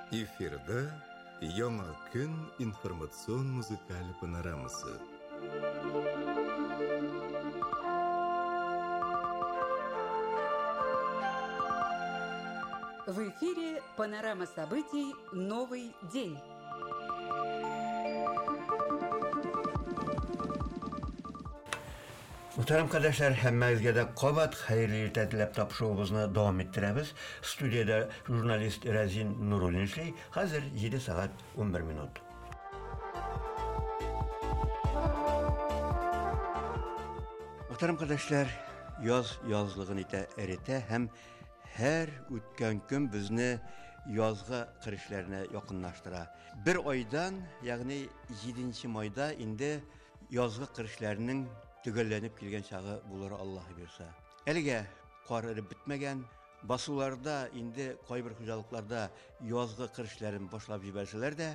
Эфирда Яңа көн информацион музыкаль панорамасы. В эфире панорама событий «Новый день». Мөхтәрәм кардәшләр, һәммәгезгә дә кабат хәерле иртә теләп тапшыруыбызны дәвам иттерәбез. Студиядә журналист Рәзин Нуруллин эшли. Хәзер 7 сәгать 11 минут. Мөхтәрәм кардәшләр, яз язлыгын итә, эретә һәм һәр үткән көн безне язгы кыр эшләренә якынлаштыра. Бер айдан, ягъни 7 майда инде Язгы кыр эшләренең төгәлләнеп килгән чагы булыр Аллаһ бирса. Әлегә кар эреп бетмәгән, басуларда инде кайбер хуҗалыкларда язгы кыр эшләрен башлап җибәрсәләр дә,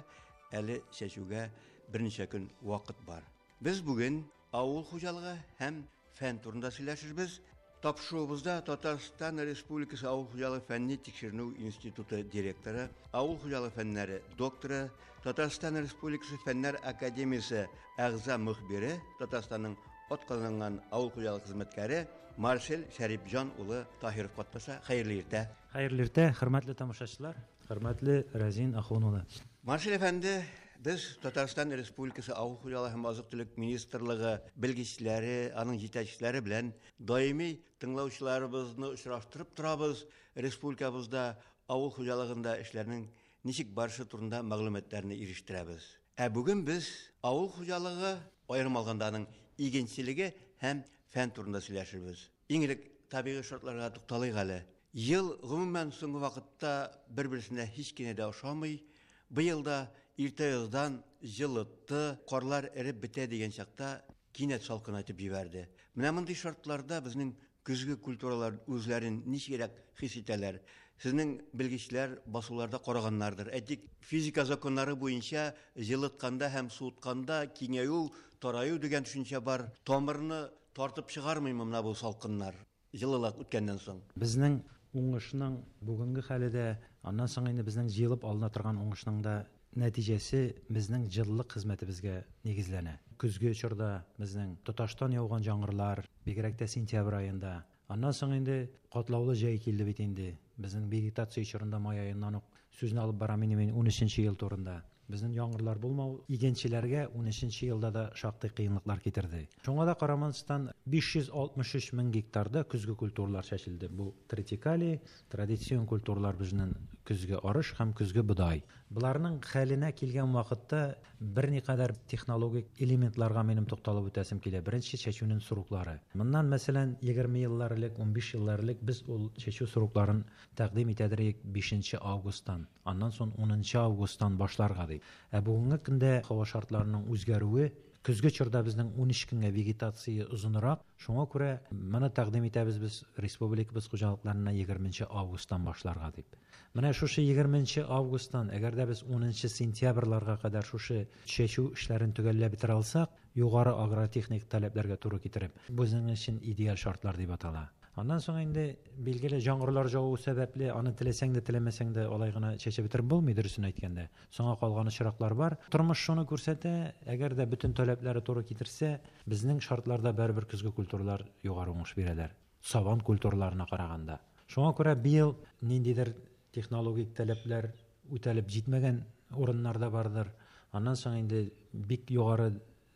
әле чәчүгә берничә көн вакыт бар. Без бүген авыл хуҗалыгы һәм фән турында сөйләшербез. Тапшыруыбызда Татарстан Республикасы Авыл хуҗалыгы фәнни тикшеренү институты директоры, авыл хуҗалыгы фәннәре докторы, Татарстан Республикасы Фәннәр академиясе әгъза мөхбире, Татарстанның атказанган авыл хуҗалыгы хезмәткәре Марсель Шәрипҗан улы Таһиров катнаша. Хәерле иртә. Хәерле иртә, хөрмәтле тамашачылар, хөрмәтле Рәзин Ахун улы. Марсель әфәнде, без Татарстан Республикасы Авыл хуҗалыгы һәм азык-төлек министрлыгы белгечләре, аның җитәкчеләре белән даими тыңлаучыларыбызны очраштырып торабыз, республикабызда авыл хуҗалыгында эшләрнең ничек барышы турында мәгълүматларны ирештерәбез. Ә бүген без авыл хуҗалыгы, аерым алганда аның игенчелеге һәм фән турында сөйләшербез. Иң элек табигый шартларга тукталыйк әле. Ел, гомумән, соңгы вакытта бер-берсенә һич кенә дә ошамый. Быел да иртә яздан җылытты, карлар эреп бетә дигән чакта кинәт салкынайтып җибәрде. Менә мондый шартларда безнең көзге культуралар үзләрен ничегрәк хис итәләр? Сезнең белгечләр басуларда караганнардыр. Әйтик, физика законнары буенча җылытканда һәм суытканда киңәю, тараю дигән төшенчә бар. Тамырны тартып чыгармыймы менә бу салкыннар? Җылылык үткәннән соң. Безнең уңышның бүгенге хәле дә, аннан соң инде безнең җыелып алына торган уңышның да нәтиҗәсе безнең җылылык хезмәтебезгә нигезләнә. Көзге чорда безнең тоташтан яуган җаңгырлар, бигрәк тә сентябрь аенда. Аннан соң инде катлаулы җәй килде бит инде. Безнең вегетация чорында май аеннан ук сүзне алып барам инде мин унөченче ел турында. Безнең яңгырлар булмау игенчеләргә унөченче елда да шактый кыенлыклар китерде. Шуңа да карамастан, 563 мең гектарда көзге культуралар чәчелде. Бу тритикали, традицион культуралар безнең көзге арыш һәм көзге бодай. Боларның хәленә килгән вакытта берникадәр технологик элементларга минем тукталып үтәсем килә. Беренче, чәчүнең сроклары. Моннан, мәсәлән, егерме еллар элек, унбиш еллар элек без ул чәчү срокларын тәкъдим итәдер идек бишенче августтан. Аннан сон унынчы августтан башларга дип. Ә бүгенге көндә һава шартларының үзгәрүе, көзге чорда безнең 13 көнгә вегетация озынрак, шуңа күрә моны тәкъдим итәбез без республикабыз хуҗалыкларына егерменче августтан башларга дип. Менә шушы егерменче августтан, әгәр дә без унынчы сентябрьларга кадәр шушы чәчү эшләрен төгәлләп бетерә алсак, югары агротехник таләпләргә туры китереп, безнең өчен идеаль шартлар дип атала. Аннан соң инде, билгеле, җаңгырлар җаву сәбәпле, аны теләсәң дә, теләмәсәң дә алай гына чәчеп бетереп булмый, дөресен әйткәндә. Соңа калган очраклар бар. Тормыш шуны күрсәтә, әгәр дә бөтен таләпләре туры китерсә, безнең шартларда барыбер көзге культуралар югары уңыш бирәләр, сабан культураларына караганда. Шуңа күрә быел ниндидер технологик таләпләр үтәлеп җитмәгән урыннар да бардыр. Аннан соң инде бик югары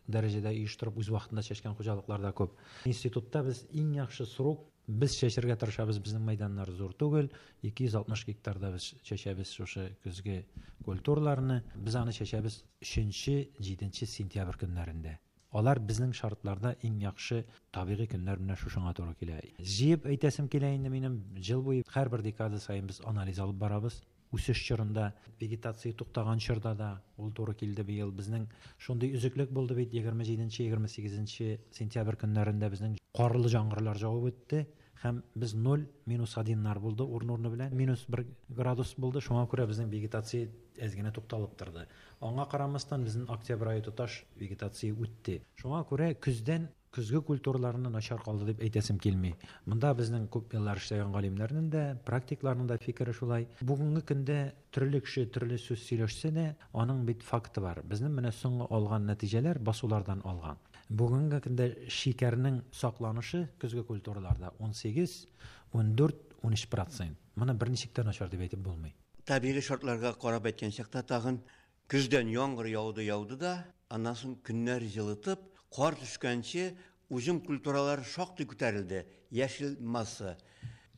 дәрәҗәдә оештырып үз вакытында чәчкән хуҗалыклар да күп. Институтта без иң яхшы срок без чәчергә тырышабыз, безнең мәйданнар зур түгел, 260 гектарда без чәчәбез шушы көзге культураларны. Без аны чәчәбез өченче, җиденче сентябрь көннәрендә. Алар безнең шартларда иң яхшы табигый көннәр менә шушыңа туры килә. Җыеп әйтәсем килә инде минем, җыл буе һәрбер декада саен без анализ алып барабыз. Үсеш чорында, вегетация туктаган чорда да ул туры килде быел. Безнең шундый өзеклек булды бит, егерме җиденче, егерме сигезенче сентябрь көннәрендә безнең карлы җаңгырлар җавып үтте һәм без ноль, минус одиннар булды урын-урыны белән, минус бер градус булды, шуңа күрә безнең вегетация әз генә тукталып торды. Аңа карамастан, безнең октябрь ае тоташ вегетация үтте. Шуңа күрә көздән Көзге культураларны начар калды дип әйтәсем килми. Монда безнең күп еллар эшләгән галимнәрнең дә, практикларның да фикере шулай. Бүгенге көндә төрле кеше төрле сүз сөйләшсә дә, аның бит факты бар. Безнең менә соңгы алган нәтиҗәләр басулардан алган. Бүгенге көндә шикәрнең сакланышы көзге культураларда 18, 14, 13%. Моны берничек тә начар дип әйтеп булмый. Табигый шартларга карап әйткән чакта тагын көздән яңгыр яуды-яуды да, аннан соң көннәр җылытып, кар төшкәнче уҗым культуралары шактый күтәрелде, яшел масса.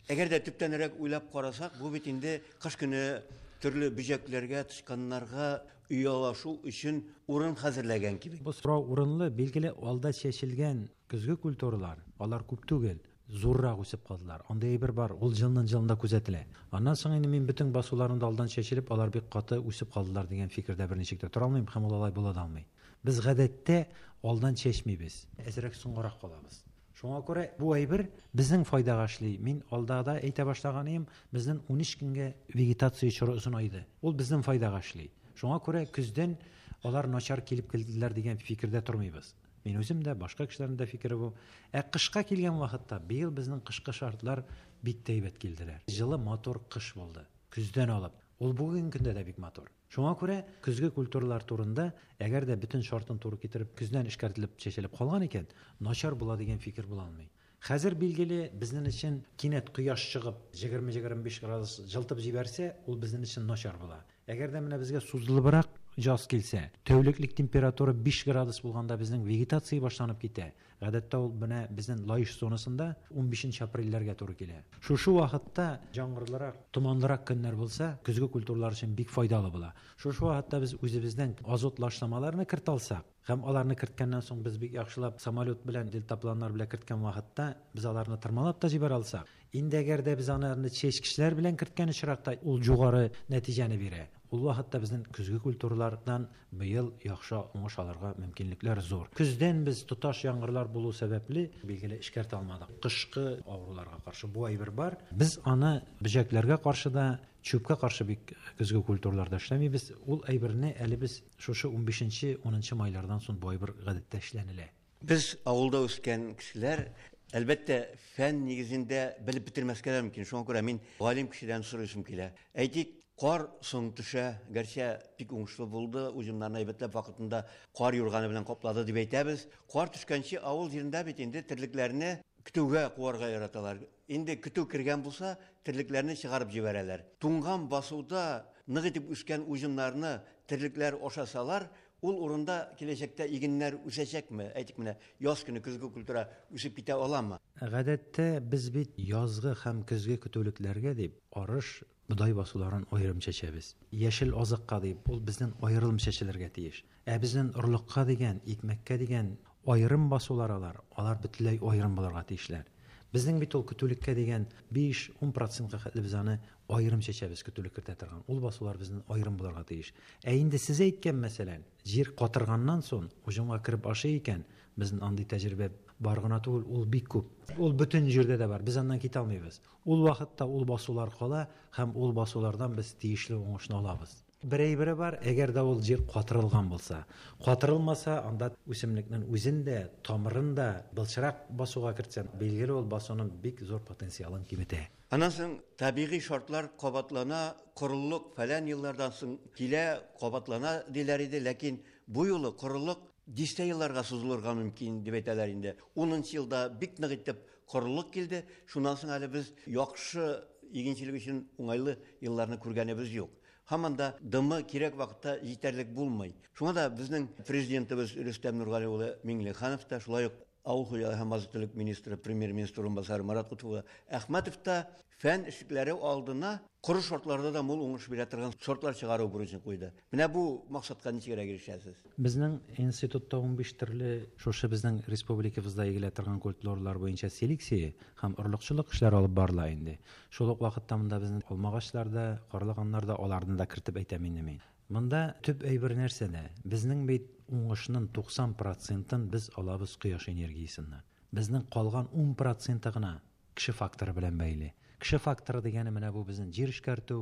Әгәр дә төптәнрәк уйлап карасак, бу бит инде кыш көне төрле бөҗәкләргә, тычканнарга оялашу өчен урын хәзерләгән кебек. Бу сорау урынлы, билгеле, алда чәчелгән көзге культуралар, алар күп түгел, зуррак үсеп калдылар. Андый әйбер бар, ул елның елында күзәтелә. Аннан соң инде мин бөтен басуларында алдан чәчелеп, алар бик каты үсеп калдылар дигән фикердә берничек тә тора алмыйм һәм ул алай була да алмый. Без гадәттә алдан чәчмибез, әзрәк соңгарак калабыз. Шуңа күрә бу әйбер безнең файдага эшли. Мин алда да әйтә башлаган идем, безнең 13 көнгә вегетация чоры озынайды. Ул безнең файдага эшли. Шуңа күрә көздән алар начар килеп килделәр дигән фикердә тормыйбыз. Мин үзем дә, башка кешеләрнең дә фикере бу. Ә кышка килгән вакытта быел безнең кышкы шартлар бик тә әйбәт килделәр. Җылы матур кыш булды. Көздән алып. Ул бүгенге көндә дә бик матур. Шуңа күрә көзге культуралар турында, әгәр дә бөтен шартын туры китереп, көздән эшкәртелеп чәчелеп калган икән, начар була дигән фикер була алмый. Хәзер билгеле, безнең өчен кинәт кояш чыгып 20-25 градус җылытып җибәрсә, ул безнең өчен начар була. Әгәр дә менә безгә сузылыбрак яз килсә, тәүлеклек температура 5 градус булганда безнең вегетация башланып китә. Гадәттә ул менә безнең Лаеш зонасында 15 апрельләргә туры килә. Шушы вакытта яңгырлырак, томанлырак көннәр булса, көзге культуралар өчен бик файдалы була. Шушы вакытта без үзебезнең азот лашламаларны кертә алсак, һәм аларны керткәннән соң без бик яхшылап самолет белән, дельтапланнар белән керткән вакытта без аларны тырмалап та җибәрә алсак, инде әгәр дә без аларны чәчкечләр белән керткән очракта ул югары нәтиҗәне бирә. Ул вакытта безнең көзге культуралардан быел яхшы уңыш алырга мөмкинлекләр зур. Көздән без тоташ яңгырлар булу сәбәпле билгеле эшкәртә алмадык. Кышкы авыруларга каршы бу әйбер бар. Без аны бөҗәкләргә каршы да, чүпкә каршы бик көзге культураларда эшләмибез. Ул әйберне әле без шушы 15-нче, 10 майлардан соң бу әйбер гадәттә эшләнелә. Без авылда үскән кешеләр, әлбәттә, фән нигезендә белеп бетермәскә дә мөмкин. Шуңа күрә мин галим кешедән сорыйсым килә. Әйтик, кар соң төшә, гәрчә бик уңышлы булды, уҗымнарны әйбәтләп вакытында кар юрганы белән каплады дип әйтәбез. Кар төшкәнче авыл җирендә бит инде терлекләрне көтүгә куарга яраталар. Инде көтү кергән булса, терлекләрне чыгарып җибәрәләр. Туңган басуда нык итеп үскән уҗымнарны терлекләр ашасалар, ул урында киләчәктә игеннәр үсәчәкме? Әйтик менә, яз көне көзге культура үсеп китә аламы? Гадәттә без бит язгы һәм көзге көтүлекләргә дип арыш, бодай басуларын аерым чәчәбез. Яшел азыкка дип ул безнең аерым чәчелергә тиеш. Ә безнең орлыкка дигән, икмәккә дигән аерым басулар алар, алар бөтенләй аерым булырга тиешләр. Безнең бит ул көтүлеккә дигән 5-10 процентка хәтле без аны аерым чәчәбез, көтүлек кертә торган. Ул басулар безнең аерым булырга тиеш. Ә инде сез әйткән мәсәлән, җир катырганнан соң уҗымга кереп ашый икән, безнең андый тәҗрибә бар гына түгел, ул бик күп. Ул бөтен җирдә дә бар, без аннан китә алмыйбыз. Ул вакытта ул басулар кала һәм ул басулардан без тиешле уңышны алабыз. Бер әйбере бар, әгәр дә ул җир катырылган булса. Катырылмаса, анда үсемлекнең үзен дә, тамырын да былчырак басуга кертсәң, билгеле ул басуның бик зур потенциалын киметә. Аннан соң табигый шартлар кабатлана, корылык фәлән еллардан соң килә, кабатлана диләр иде, ләкин бу юлы корылык дистә елларга сузылырга мөмкин дип әйтәләр инде. 10 елда бик нык итеп корылык килде, шуннан соң әле без яхшы игенчелек өчен уңайлы елларны күргәнебез юк. Һаман да дымы кирәк вакытта җитәрлек булмый. Шуңа да безнең президентыбыз Рөстәм Нургали улы Миңнеханов та, шулай ук авыл хуҗалыгы һәм азык-төлек министры, премьер-министр урынбасары Марат Кутбулла Әхмәтов та фән эшлекләре алдына коры шартларда да мул уңыш бирә торган сортлар чыгару бурычын куйды. Менә бу максатка ничегрәк ирешәсез? Безнең институтта 15 төрле шушы безнең республикабызда игелә торган культуралар буенча селекция һәм орлыкчылык эшләре алып барыла инде. Шул ук вакытта монда безнең алмагачлар да, карлыганнар да, аларны да кертеп әйтәм инде мин. Монда төп әйбер нәрсәдә? Безнең бит уңышның 90 процентын без алабыз кояш энергиясеннән. Безнең калган 10 проценты гына кеше факторы белән бәйле. Кеше факторы дигәне менә бу безнең җир эшкәртү,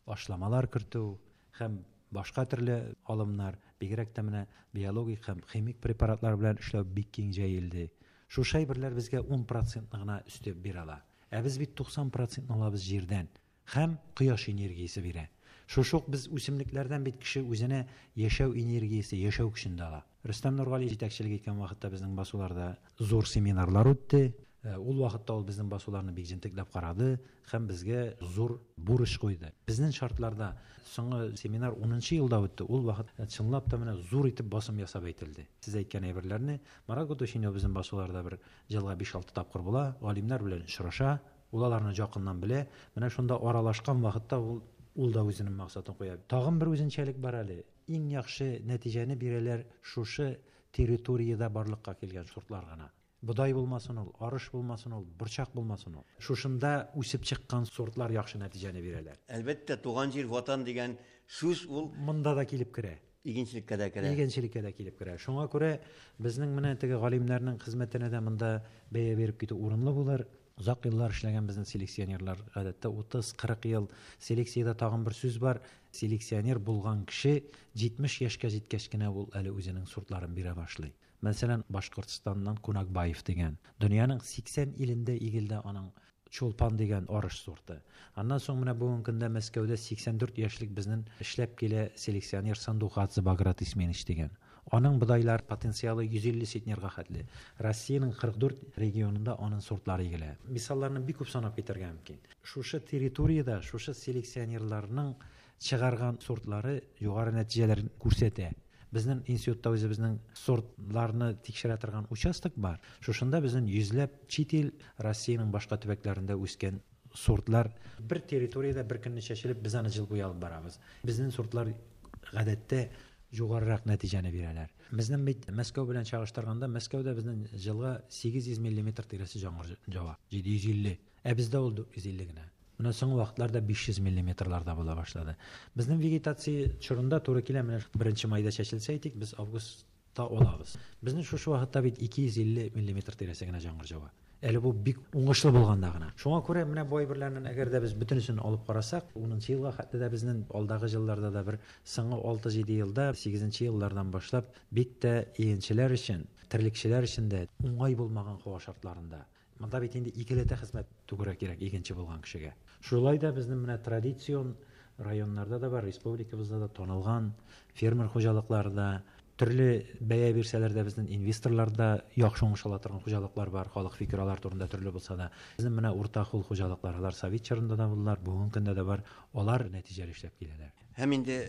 ашламалар кертү һәм башка төрле алымнар, бигрәк тә менә биологик һәм химик препаратлар белән эшләү бик киң җәелде. Шушы әйберләр безгә 10 процентны гына өстәп бирә ала. Ә без бит 90 процентны алабыз җирдән. Һәм кояш энергиясе бирә. Шушы ук без үсемлекләрдән бит кеше үзенә яшәү энергиясе, яшәү көчен дә ала. Рөстәм Нургали җитәкчелек иткән вакытта безнең басуларда зур семинарлар үтте. Ул вакытта ул безнең басуларны бик җентекләп карады һәм безгә зур бурыч куйды. Безнең шартларда соңгы семинар 10 елда үтте. Ул вакыт чынлап та менә зур итеп басым ясап әйтелде. Сез әйткән әйберләрне Марат Гутушинов безнең басуларда бер елга 5-6 тапкыр була, галимнәр белән очраша, ул аларны якыннан белә. Менә шунда аралашкан вакытта ул да үзенең максатын куя. Тагын бер үзенчәлек бар әле. Иң яхшы нәтиҗәне бирәләр шушы территориядә барлыкка килгән сортлар гына. Бодай булмасын ул, арыш булмасын ул, борчак булмасын ул. Шушында үсеп чыккан сортлар яхшы нәтиҗәне бирәләр. Әлбәттә, туган җир, ватан дигән сүз ул монда да килеп керә. Игенчелеккә дә керә. Игенчелеккә дә килеп керә. Шуңа күрә безнең менә теге галимнәрнең хезмәтенә дә монда бәя биреп китү урынлы булыр. Озак еллар эшләгән безнең селекционерлар, гадәттә 30-40 ел. Селекциядә тагын бер сүз бар. Селекционер булган кеше 70 яшькә җиткәч кенә ул әле үзенең сортларын бирә башлый. Мәсәлән, Башкортстаннан Кунакбаев дигән. Дөньяның 80 илендә игелде аның Чулпан дигән арыш сорты. Аннан соң менә бүгенге көндә Мәскәүдә 84 яшьлек безнең эшләп килә селекционер Сандухадзе Баграт Исменич дигән. Аның бодайлар потенциалы 150 центнерга хәтле. Россиянең 44 регионында аның сортлары игелә. Мисалларны бик күп санап китәргә мөмкин. Шушы территориядә, шушы селекционерларның чыгарган сортлары югары нәтиҗәләр күрсәтә. Безнең институтта үзебезнең сортларны тикшерә торган участок бар. Шушында безнең йөзләп чит ил, Россиянең башка төбәкләрендә үскән сортлар бер территориядә бер көнне чәчелеп, без аны җыл буе алып барабыз. Безнең сортлар гадәттә югарырак нәтиҗәне бирәләр. Безнең бит Мәскәү белән чагыштырганда, Мәскәүдә безнең җылга 800 миллиметр тирәсе яңгыр җава, 750. Ә бездә ул 450 генә. Менә соңгы вакытларда 500 миллиметрларда була башлады. Безнең вегетация чорында туры килә, менә 1 майда чәчелсә әйтик, без августта алабыз. Безнең шушы вакытта бит 250 миллиметр тирәсе генә яңгыр җава. Әле бу бик уңышлы булганда гына. Шуңа күрә менә бу әйберләрнең әгәр дә без бөтенесен алып карасак, 10 елга хәтле дә безнең алдагы елларда да бер соңгы 6-7 елда, 8 еллардан башлап бик тә игенчеләр өчен, терлекчеләр өчен дә уңай булмаган һава шартларында. Монда бит инде икеләтә хезмәт түгәрәк кирәк игенче булган кешегә. Шулай да безнең менә традицион районнарда да бар, республикабызда да танылган фермер хуҗалыклары да, төрле бәя бирсәләр дә безнең инвесторлар да яхшы уңыш ала торган хуҗалыклар бар, халык фикер алар турында төрле булса да. Безнең менә урта кул хуҗалыклар, алар совет чорында да булдылар, бүгенге көндә дә бар, алар нәтиҗәле эшләп киләләр. Һәм инде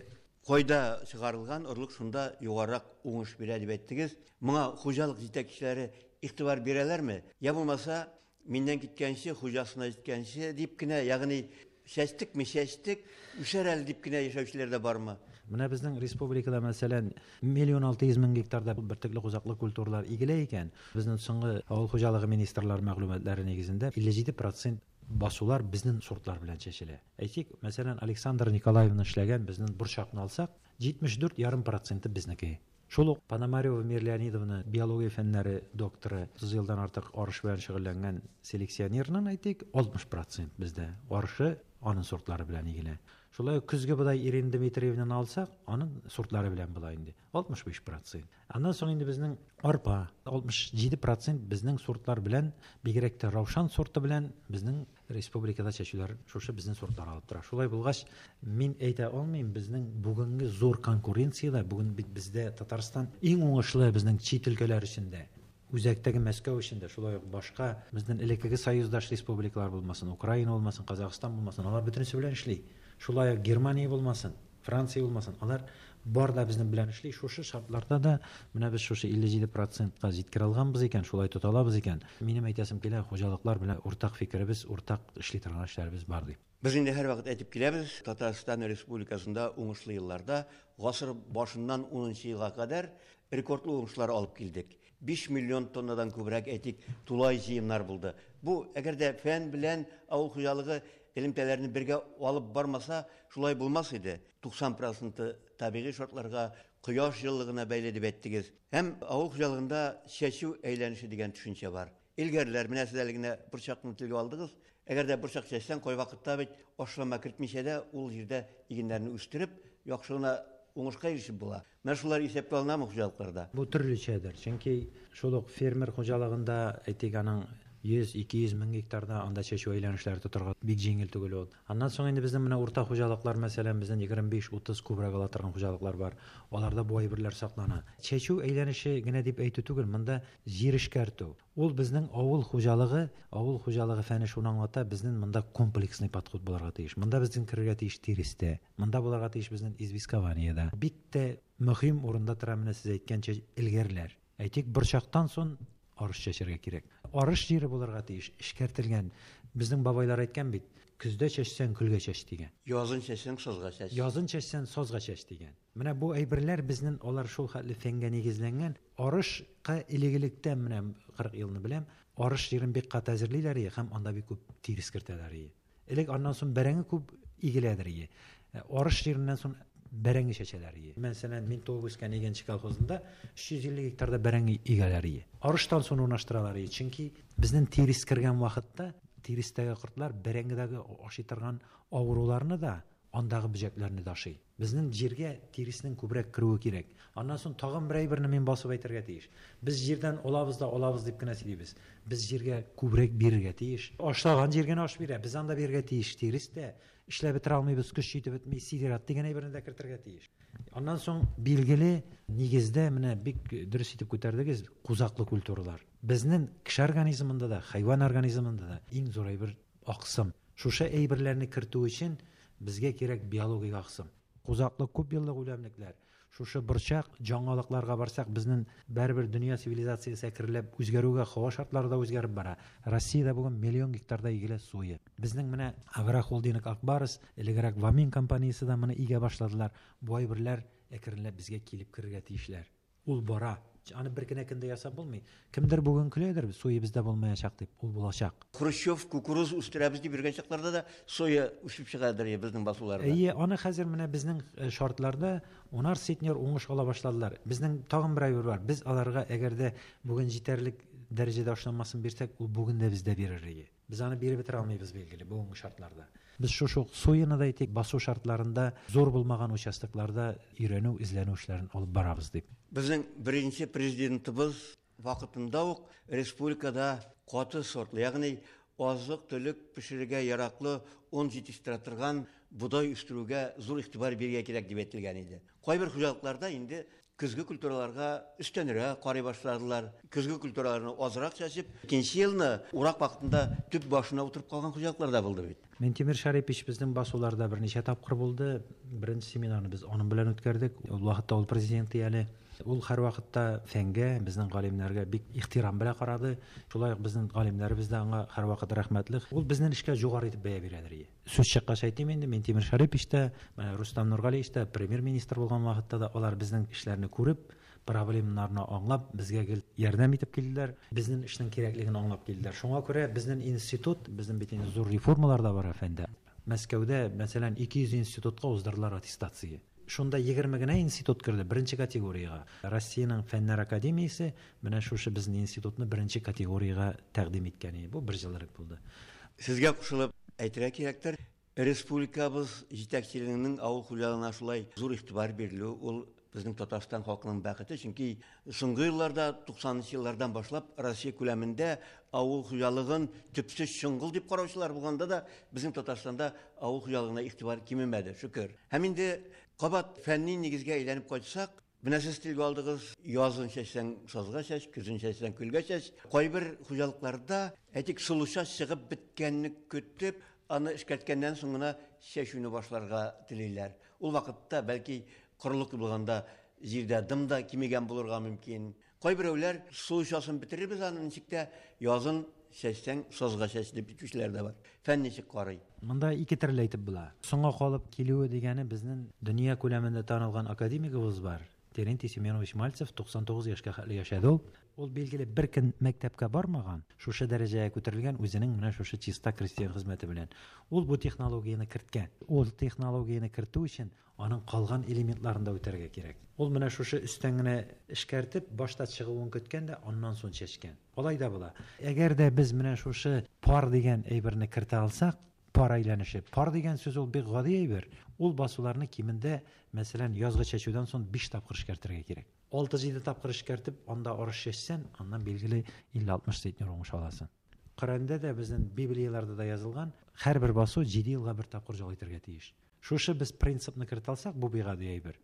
кайда чыгарылган орлык шунда югарырак уңыш бирә дип әйттегез. Моңа хуҗалык җитәкчеләре игътибар бирәләрме? Я булмаса, миннән киткәнче, хуҗасына җиткәнче дип кенә, ягъни чәчтекме, чәчтек, үсәр әле дип кенә яшәүчеләр дә бармы? Менә безнең республикада, мәсәлән, 1 600 000 гектарда бөртекле кузаклы культуралар игелә икән, безнең соңгы авыл хуҗалыгы министрлары мәгълүматлары нигезендә 57% басулар безнең сортлар белән чәчелә. Әйтик, мәсәлән, Александр Николаевна эшләгән безнең борчакны алсак, 74,5 проценты безнеке. Шул ук Пономарева Мир Леонидовна, биология фәннәре докторы, 30 елдан артык арыш белән шөгыльләнгән селекционерның, әйтик, 60% бездә арышы аның сортлары белән игелә. Шулай ук көзге бодай Ирина Дмитриевнаны алсак, аның сортлары белән була инде 65%. Аннан соң инде безнең арпа 67% безнең сортлар белән, бигрәк тә Раушан сорты белән безнең республикада чәчүләр шушы безнең сортлар алып тора. Шулай булгач, мин әйтә алмыйм, безнең бүгенге зур конкуренциядә, бүген бит бездә Татарстан иң уңышлы безнең чит өлкәләр эчендә. Үзәктәге Мәскәү эчендә, шулай ук башка безнең элеккеге союздаш республикалар булмасын, Украина булмасын, Казахстан булмасын, алар бөтенесе белән эшли. Шулай ук Германия булмасын, Франция булмасын, алар бар да безнең белән эшли. Шушы шартларда да менә без шушы 57 процентка җиткерә алганбыз икән, шулай тота алабыз икән. Минем әйтәсем килә, хуҗалыклар белән уртак фикеребез, уртак эшли торган эшләребез бар дип. Без инде һәрвакыт әйтеп киләбез, Татарстан Республикасында уңышлы елларда гасыр башыннан 10 елга кадәр рекордлы уңышлар алып килдек. 5 миллион тоннадан күбрәк, әйтик, тулай җыемнар булды. Бу, әгәр дә фән белән авыл хуҗалыгы элемтәләрне бергә алып бармаса, шулай булмас иде. 90 проценты табигый шартларга, кояш җылылыгына бәйле дип әйттегез. Һәм авыл хуҗалыгында чәчү әйләнеше дигән төшенчә бар. Элгәрләр, менә сез әле генә борчакны телгә алдыгыз. Әгәр дә борчак чәчсәң, кайвакытта бит ашлама кертмичә дә ул җирдә игеннәрне үстереп, яхшы гына уңышка ирешеп була. Менә шулар исәпкә алынамы хуҗалыкларда? Бу төрлечәдер. Чөнки шул ук фермер хуҗалыгында, әйтик, аның 100-200 мең гектарда анда чәчү әйләнешләре тотарга бик җиңел түгел ул. Аннан соң инде безнең менә урта хуҗалыклар, мәсәлән, безнең 25-30 күбрәк ала торган хуҗалыклар бар. Аларда бу әйберләр саклана. Чәчү әйләнеше генә дип әйтү түгел, монда җир эшкәртү. Ул безнең авыл хуҗалыгы, авыл хуҗалыгы фәне шуны аңлата, безнең монда комплексный подход булырга тиеш. Монда безнең керергә тиеш тирестә, монда булырга тиеш безнең известкованиедә. Бик тә мөһим урында тора менә сез әйткәнчә элгәрләр. Әйтик, борчактан соң арыш чәчәргә кирәк. Арыш җире булырга тиеш, эшкәртелгән. Безнең бабайлар әйткән бит, көздә чәчсәң көлгә чәч дигән. Язын чәчсәң сазга чәч. Язын чәчсәң сазга чәч дигән. Менә бу әйберләр безнең алар шул хәтле фәнгә нигезләнгән. Арышка элек-электән менә 40 елны беләм, арыш җирен бик каты әзерлиләр ие һәм анда бик күп тирес кертәләр ие. Элек аннан соң бәрәңге күп игеләдер ие. Арыш җиреннән соң бәрәңге чәчәләр ие. Мәсәлән, мин туып үскән Игенче колхозында 350 гектарда бәрәңге игәләр ие. Арыштан соң урнаштыралар ие. Чөнки безнең тирес кергән вакытта тирестәге кортлар бәрәңгедәге ашый торган авыруларны да, андагы бөҗәкләрне дә ашый. Безнең җиргә тиреснең күбрәк керүе кирәк. Аннан соң тагын бер әйберне мин басып әйтергә тиеш. Без җирдән алабыз да алабыз дип кенә сөйлибез. Без җиргә күбрәк бирергә тиеш. Ашлаган җир генә аш бирә. Без анда бирергә тиеш тирес тә. Эшләп бетерә алмыйбыз, көч җитеп бетми, сидерат дигән әйберне дә кертергә тиеш. Аннан соң билгеле нигездә менә бик дөрес итеп күтәрдегез кузаклы культуралар. Безнең кеше организмында да, хайван организмында да иң зур әйбер аксым. Шушы әйберләрне кертү өчен безгә кирәк биологик аксым. Кузаклы күп еллык үләмлекләр. Шушы борчак жаңалыкларга барсак, безнең бәрбер дөнья цивилизациясе әкренләп үзгәрүгә, һава шартлары да үзгәреп бара. Россиядә бүген миллион гектарда игелә соя. Безнең менә агрохолдинг Акбарс, элегрәк Вамин компаниясе дә моны игә башладылар. Бу әйберләр әкренләп безгә килеп керергә тиешләр. Ул бара. Аны бер генә көндә ясап булмый. Кемдер бүген көләдер, соя бездә булмаячак дип, ул булачак. Хрущев кукуруз үстерәбез дип йөргән чакларда да соя үсеп чыгадыр безнең басуларда. Әйе, аны хәзер менә безнең шартларда унар центнер уңыш ала башладылар. Безнең тагын бер әйбер бар. Без аларга әгәр дә бүген җитәрлек дәрәҗәдә ашламасын бирсәк, ул бүген дә бездә бирер иде. Без аны биреп бетерә алмыйбыз билгеле бүгенге шартларда. Без шушы ук сояны да әйтик, басу шартларында зур булмаган участокларда өйрәнү, эзләнү эшләрен алып барабыз дип. Безнең беренче президентыбыз вакытында ук республикада каты сортлы, ягъни азык-төлек пешерергә яраклы он җитештерә торган бодай үстерүгә зур игътибар бирергә кирәк дип әйтелгән иде. Кайбер хуҗалыкларда инде көзге культураларга өстәнрәк карый башладылар. Көзге культураларны азрак чәчеп, икенче елны урак вакытында төп башына утырып калган хуҗалыклар да булды бит. Минтимер Шарипович безнең басуларда берничә тапкыр булды. Беренче семинарны без аның белән үткәрдек. Ул вакытта ул президент әле. Ул һәр вакытта фәнгә, безнең галимнәргә бик ихтирам белән карады. Шулай ук безнең галимнәребез дә аңа һәрвакыт рәхмәтле. Ул безнең эшкә югары итеп бәя бирәдер иде. Сүз чыккач әйтим инде, Минтимер Шарипович та, Рустам Нургалиевич та премьер-министр булган вакытта да алар безнең эшләрне күреп, проблемаларны аңлап, безгә гел ярдәм итеп килделәр. Безнең эшнең кирәклеген аңлап килделәр. Шуңа күрә безнең институт, безнең бит инде зур реформалар да бар фәндә. Мәскәүдә, мәсәлән, 200 институтка уздырдылар аттестация. Шунда 20 генә институт керде беренче категориягә. Россиянең Фәннәр академиясе менә шушы безнең институтны беренче категориягә тәкъдим иткән иде. Бу бер ел элек булды. Сезгә кушылып әйтергә кирәктер, республикабыз җитәкчелегенең авыл хуҗалыгына шулай зур игътибар бирелү, ул безнең Татарстан халкының бәхете, чөнки соңгы елларда, 90нчы еллардан башлап Россия күләмендә авыл хуҗалыгын төпсез чоңгыл дип караучылар булганда да безнең Татарстанда авыл хуҗалыгына игътибар кимемәде, шөкер. Һәм инде кабат фәнни нигезгә әйләнеп кайтсак, менә сез телгә алдыгыз, язын чәчсәң сазга чәч, көзен чәчсәң көлгә чәч. Кайбер хуҗалыкларда, әйтик, солыча чыгып беткәнне көтеп, аны эшкәрткәннән соң гына чәчүне башларга телиләр. Ул вакытта бәлки корылык булганда җирдә дым да кимегән булырга мөмкин. Кайберәүләр солычасын бетерербез аны ничек тә язын чәчсәң сазга чәч дип әйтүчеләр дә бар. Фән ничек карый? Монда ике төрле әйтеп була. Соңга калып килүе дигәне безнең дөнья күләмендә танылган академигыбыз бар. Терентий Семенович Мальцев 99 яшькә хәтле яшәде ул. Ул билгеле бер көн мәктәпкә бармаган, шушы дәрәҗәгә күтәрелгән үзенең менә шушы чиста крестьян хезмәте белән. Ул бу технологияне керткән. Ул технологияне кертү өчен аның калган элементларын да үтәргә кирәк. Ул менә шушы өстән генә эшкәртеп, башта чыгуын көткән дә, аннан соң чәчкән. Алай да була. Әгәр дә без менә шушы пар дигән әйберне кертә алсак, Пар әйләнеше. Пар дигән сүз ул бик гади әйбер. Ул басуларны кимендә, мәсәлән, язгы чәчүдән соң 5 тапкыр эшкәртергә кирәк. 6-7 тапкыр эшкәртеп, анда арыш чәчсән, аннан билгеле 50-60 центнер уңыш аласың. Коръәндә дә, безнең Библияләрдә дә язылган, һәрбер басу 7 елга бер тапкыр җал итәргә тиеш. Шушы без принципны кертә алсак, бу бик гади әйбер.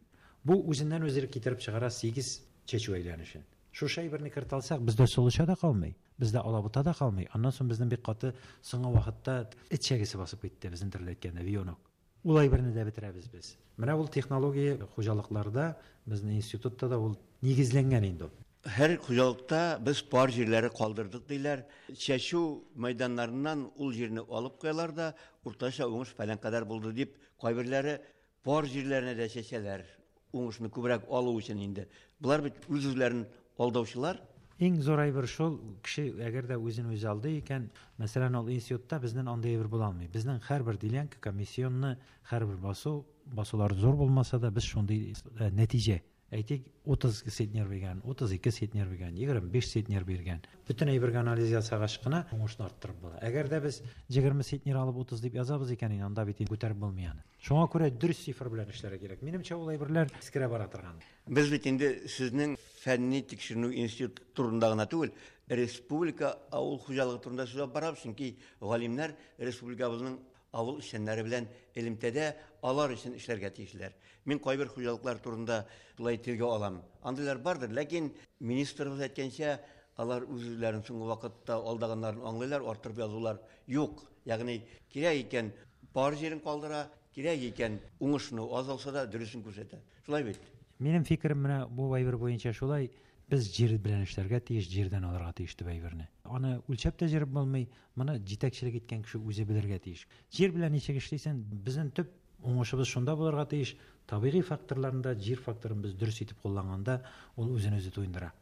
Бу үзеннән үзе китереп чыгара 8 чәчү әйләнешен. Шушы әйберне кертә алсак, бездә солыча да калмый, бездә алабута да калмый. Аннан соң безнең бик каты соңгы вакытта эт чәгесе басып китте, безнең төрле әйткәндә, вионок. Ул әйберне дә бетерәбез без. Менә ул технология хуҗалыкларда, безнең институтта да ул нигезләнгән инде ул. Һәр хуҗалыкта без пар җирләре калдырдык диләр. Чәчү мәйданнарыннан ул җирне алып куялар да, уртача уңыш фәлән кадәр булды дип, кайберләре пар җирләренә дә чәчәләр. Уңышны күбрәк алу өчен инде. Болар бит үз-үзләрен алдаучылар. Иң зур әйбер шул, кеше әгәр дә үзен үзе алдый икән, мәсәлән, ул институтта безнең андый әйбер була алмый. Безнең һәрбер делянка комиссионны, һәрбер басу, басулар зур булмаса да, без шундый нәтиҗә. Әйтик, 30 центнер биргән, 32 центнер биргән, 25 центнер биргән. Бөтен әйбергә анализ ясагач кына уңышны арттырып була. Әгәр дә без 20 центнер алып 30 дип язабыз икән, инде анда бит күтәреп булмый аны. Шуңа күрә дөрес цифр белән эшләргә кирәк. Минемчә, ул әйберләр искерә бара торган. Без бит инде сезнең фәнни тикшеренү институты турында гына түгел, республика авыл хуҗалыгы турында сүз алып барабыз, чөнки галимнәр республикабызның авыл эшчәннәре белән элемтәдә, алар өчен эшләргә тиешләр. Мин кайбер хуҗалыклар турында шулай телгә алам. Андыйлар бардыр, ләкин министрыбыз әйткәнчә, алар үз-үзләрен соңгы вакытта алдаганнарын аңлыйлар, арттырып язулар юк. Ягъни кирәк икән пар җирен калдыра, кирәк икән уңышны аз алса да дөресен күрсәтә. Шулай бит? Минем фикерем менә бу әйбер буенча шулай. Без җир белән эшләргә тиеш, җирдән алырга тиеш дип әйберне. Аны үлчәп тә җырып булмый, моны җитәкчелек иткән кеше үзе белергә тиеш. Җир белән ничек эшлисең, безнең төп уңышыбыз шунда булырга тиеш. Табигый факторларында җир факторын без дөрес итеп кулланганда, ул үзен үзе туендыра.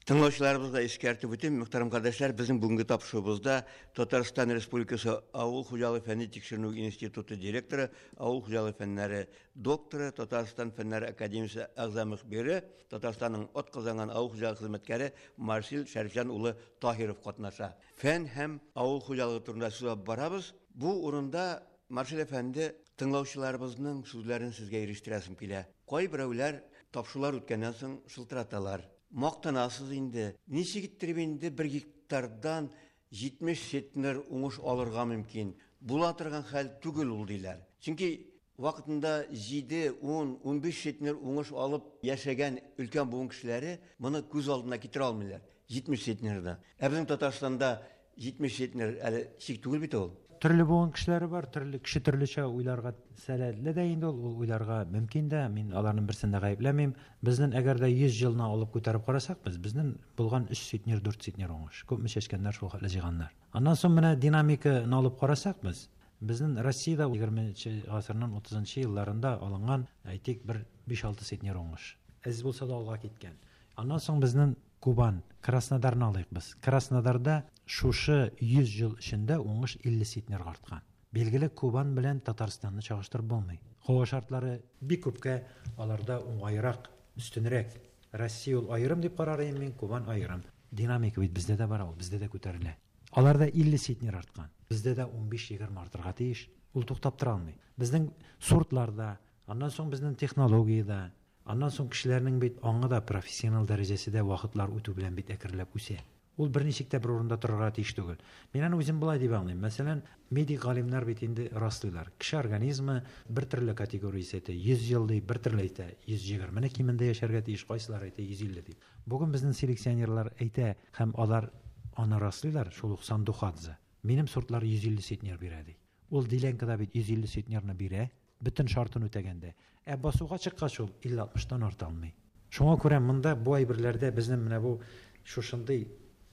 Тыңлаучыларыбызга искәртеп үтим, мөхтәрәм кардәшләр, безнең бүгенге тапшыруыбызда Татарстан Республикасы Авыл хуҗалыгы фәнни тикшеренү институты директоры, авыл хуҗалыгы фәннәре докторы, Татарстан Фәннәр академиясе әгъза мөхбире, Татарстанның атказанган авыл хуҗалыгы хезмәткәре Марсил Шәрифҗан улы Таһиров катнаша. Фән һәм авыл хуҗалыгы турында сүз алып барабыз. Бу урында Марсил әфәнде, тыңлаучыларыбызның сүзләрен сезгә ирештерәсем килә. Кайберәүләр тапшырулар үткәннән соң шылтыраталар. Мактанасыз инде. Ничек иттереп инде бер гектардан 70 центнер уңыш алырга мөмкин? Була торган хәл түгел ул диләр. Чөнки вакытында 7, 10, 15 центнер уңыш алып яшәгән өлкән буын кешеләре моны күз алдына китерә алмыйлар. 70 центнерда. Ә безнең Татарстанда 70 центнер әле чик түгел бит ул. Төрле буын кешеләре бар, төрле кеше төрлечә уйларга сәләтле дә инде ул, ул уйларга мөмкин дә. Мин аларның берсен дә гаепләмим. Безнең әгәр дә 100 елны алып күтәреп карасак, безнең булган 3 центнер, 4 центнер уңыш. Күпме чәчкәннәр, шул хәтле җыйганнар. Аннан соң менә динамиканы алып карасак без, безнең Россиядә егерменче гасырның утызынчы елларында алынган, әйтик, бер биш-алты центнер уңыш. Әз булса да алга киткән. Аннан соң безнең Кубан, Краснодарны алыйк без. Краснодарда шушы 100 ел эчендә уңыш 50 центнерга арткан. Билгеле, Кубан белән Татарстанны чагыштырып булмый. Һава шартлары бик күпкә аларда уңайрак, өстенрәк. Россия ул аерым дип карар идем мин, Кубан аерым. Динамика бит бездә дә бар, ул бездә дә күтәрелә. Аларда 50 центнер арткан. Бездә дә 15-20 артырга тиеш. Ул туктап тора алмый. Безнең сортларда, аннан соң безнең технологиядә, аннан соң кешеләрнең бит аңы да профессионал дәрәҗәсе дә вакытлар үтү белән бит әкренләп үсә. Ул берничек тә бер урында торырга тиеш түгел. Мин аны үзем болай дип аңлыйм. Мәсәлән, медик галимнәр бит инде раслыйлар. Кеше организмы бер төрле категориясе әйтә, 100 ел ди, бер төрле әйтә, 120 кимендә яшәргә тиеш, кайсылар әйтә 150 дип. Бүген безнең селекционерлар әйтә һәм алар аны раслыйлар, шул ук Сандухадзе. Минем сортлар 150 центнер бирә ди. Ул делянкада бит 150 центнерны бирә, бөтен шартын үтәгәндә. Ә басуга чыккач ул илле-алтмыштан арта алмый. Шуңа күрә монда бу әйберләрдә безнең менә бу шушындый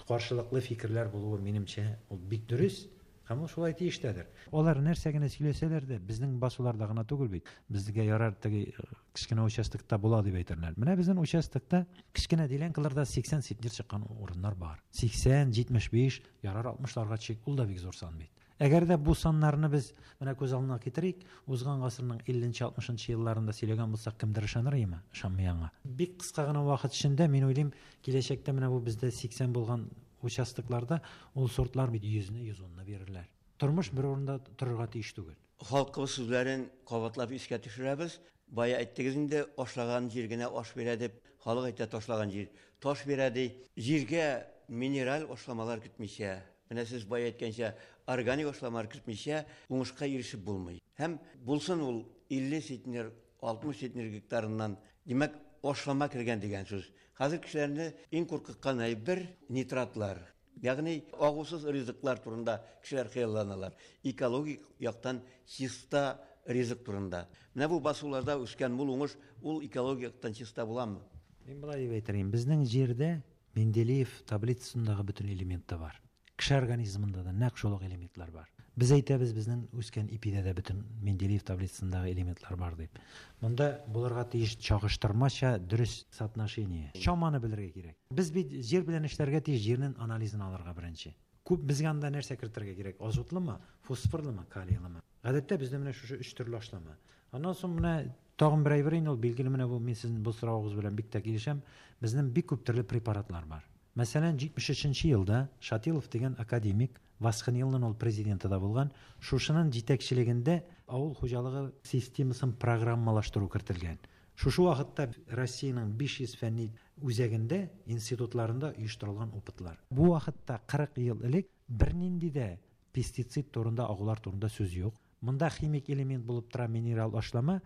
каршылыклы фикерләр булуы минемчә ул бик дөрес һәм ул шулай тиештәдер. Алар нәрсә генә сөйләсәләр дә, безнең басуларда гына түгел бит. Безгә ярар теге кечкенә участокта була дип әйтерләр. Менә безнең участокта кечкенә делянкаларда 80 центнер чыккан урыннар бар. 80, 75, ярар 60-ларга чик, ул да бик зур сан бит. Әгәр дә бу саннарны без менә күз алдына китерик, узган гасырның илленче, алтмышынчы елларында сөйләгән булсак, кемдер ышаныр име? Ышанмый аңа. Бик кыска гына вакыт эчендә, мин уйлыйм, киләчәктә менә бу бездә 80 булган участокларда ул сортлар бит 100-не, 110-ны бирерләр. Тормыш бер урында торырга тиеш түгел. Халкыбыз сүзләрен кабатлап искә төшерәбез. Бая әйттегез инде, ашлаган җир генә аш бирә дип, халык әйтә ташлаган җир таш бирә ди. Җиргә минераль ашламалар кертмичә, менә сез бая әйткәнчә, органик ашламалар кертмичә уңышка ирешеп булмый. Һәм булсын ул 50 центнер, 60 центнер гектарыннан, димәк, ашлама кергән дигән сүз. Хәзер кешеләрне иң куркыткан әйбер нитратлар. Ягъни агусыз ризыклар турында кешеләр хыялланалар. Экологик яктан чиста ризык турында. Менә бу басуларда үскән мул уңыш ул экологик яктан чиста буламы? Мин болай дип әйтер идем. Безнең җирдә Менделеев таблицасындагы бөтен элемент та бар. Кеше организмында да нәкъ шул ук элементлар бар. Без әйтәбез, безнең үскән ипидә дә бөтен Менделеев таблицасындагы элементлар бар дип. Монда булырга тиеш чагыштырмача дөрес соотношение. Чаманы белергә кирәк. Без бит җир белән эшләргә тиеш, җирнең анализын алырга беренче. Күп безгә анда нәрсә кертергә кирәк? Азотлымы, фосфорлымы, калийлымы? Гадәттә бездә менә шушы өч төрле ашлама. Аннан соң менә тагын бер әйбер инде ул билгеле менә бу мин сезнең бу соравыгыз белән бик тә килешәм. Безнең бик күп төрле препаратлар бар. Мәсәлән, 73 елда Шатилов дигән академик, Васхнилның ул президенты да булган, шушының җитәкчелегендә авыл хуҗалыгы системасын программалаштыру кертелгән. Шушы вакытта Россиянең 500 фәнни үзәгендә, институтларында оештырылган опытлар. Бу вакытта 40 ел элек бернинди дә пестицид турында, агулар турында сүз юк. Монда химик элемент булып тора минерал ашлама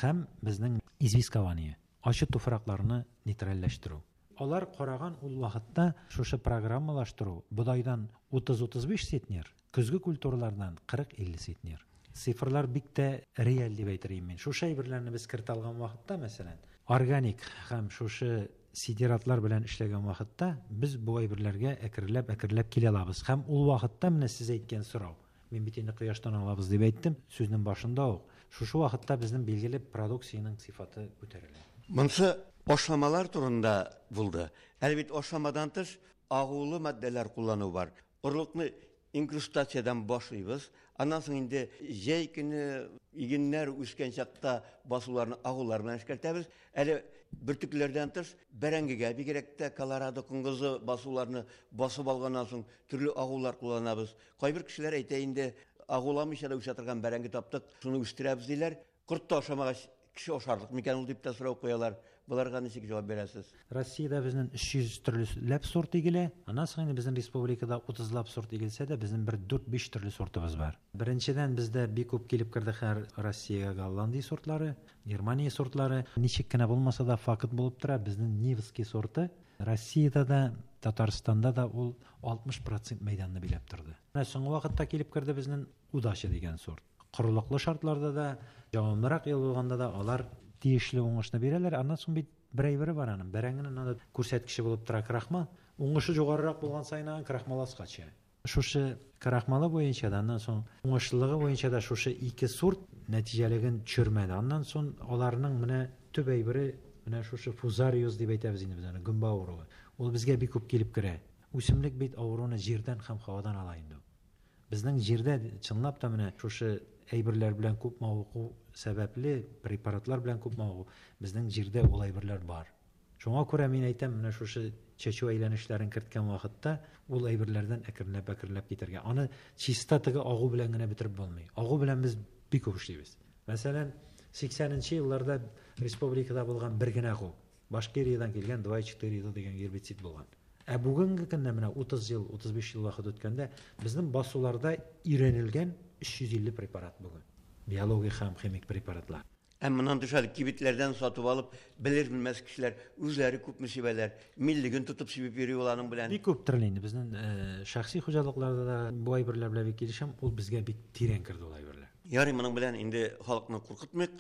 һәм безнең известкование, ачы туфракларны нейтральләштерү. Алар караган ул вакытта шушы программалаштыру бодайдан 30-35 центнер, көзге культуралардан 40-50 центнер. Цифрлар бик тә реаль дип әйтер идем мин. Шушы әйберләрне без кертә алган вакытта, мәсәлән, органик һәм шушы сидератлар белән эшләгән вакытта без бу әйберләргә әкренләп-әкренләп килә алабыз. Һәм ул вакытта менә сез әйткән сорау, мин бит инде кояштан алабыз дип әйттем, сүзнең башында ук. Шушы вакытта безнең билгеле продукциянең сыйфаты күтәрелә. Монысы ашламалар турында булды. Әле бит ашламадан тыш агулы матдәләр куллану бар. Орлыкны инкрустациядан башлыйбыз. Аннан соң инде җәй көне игеннәр үскән чакта басуларны агулар белән эшкәртәбез. Әле бөртекләрдән тыш бәрәңгегә бигрәк тә Колорадо коңгызы басуларны басып алганнан соң төрле агулар кулланабыз. Кайбер кешеләр әйтә инде, агуламыйча да үсә торган бәрәңге таптык, шуны үстерәбез диләр. Корт та ашамагач, кеше ашарлык микән ул дип тә сорау куялар. Боларга ничек җавап бирәсез? Россиядә безнең 300 төрле ләп сорт игелә. Аннан соң инде безнең республикада 30 лап сорт игелсә дә, безнең бер 4-5 төрле сортыбыз бар. Беренчедән бездә бик күп килеп керде хәр Россиягә Голландия сортлары, Германия сортлары. Ничек кенә булмаса да факт булып тора, безнең Невский сорты Россиядә дә, Татарстанда да ул 60% мәйданны биләп торды. Менә соңгы вакытта килеп керде безнең Удача дигән сорт. Корылыклы шартларда да, җавамлырак ел булганда да алар тиешле уңышны бирәләр. Аннан соң бит бер әйбере бар аның. Бәрәңгенең анда күрсәткече булып тора крахмал. Уңышы югарырак булган саен аның крахмал аска төшә. Шушы крахмалы буенча да, аннан соң уңышлылыгы буенча да шушы ике сорт нәтиҗәлеген төшермәде. Аннан соң аларның менә төп әйбере менә шушы фузариоз дип әйтәбез инде без аны, гөмбә авыруы. Ул безгә бик күп килеп керә. Үсемлек бит авыруны җирдән һәм һавадан ала инде. Безнең җирдә чынлап та менә шушы әйберләр белән күп мавыгу сәбәпле, препаратлар белән күп мавыгу, безнең җирдә ул әйберләр бар. Шуңа күрә мин әйтәм, менә шушы чәчү әйләнешләрен керткән вакытта ул әйберләрдән әкренләп-әкренләп китәргә. Аны чиста теге агу белән генә бетереп булмый. Агу белән без бик күп эшлибез. Мәсәлән, 80 елларда республикада булган бер генә агу. Башкириядан килгән 2,4 дигән гербицид булган. Ә бүгенге көндә менә 30 ел, 35 ел вакыт үткәндә безнең басуларда өйрәнелгән 350 препарат бүген. Биологик һәм химик препаратлар. Һәм моннан тыш әле кибетләрдән сатып алып, белер-белмәс кешеләр үзләре күпме сибәләр, миллеген тотып сибеп йөри ул аның белән. Бик күп төрле инде. Безнең шәхси хуҗалыкларда да бу әйберләр белән бик килешәм, ул безгә бик тирән керде ул әйберләр. Ярый, моның белән инде халыкны куркытмыйк.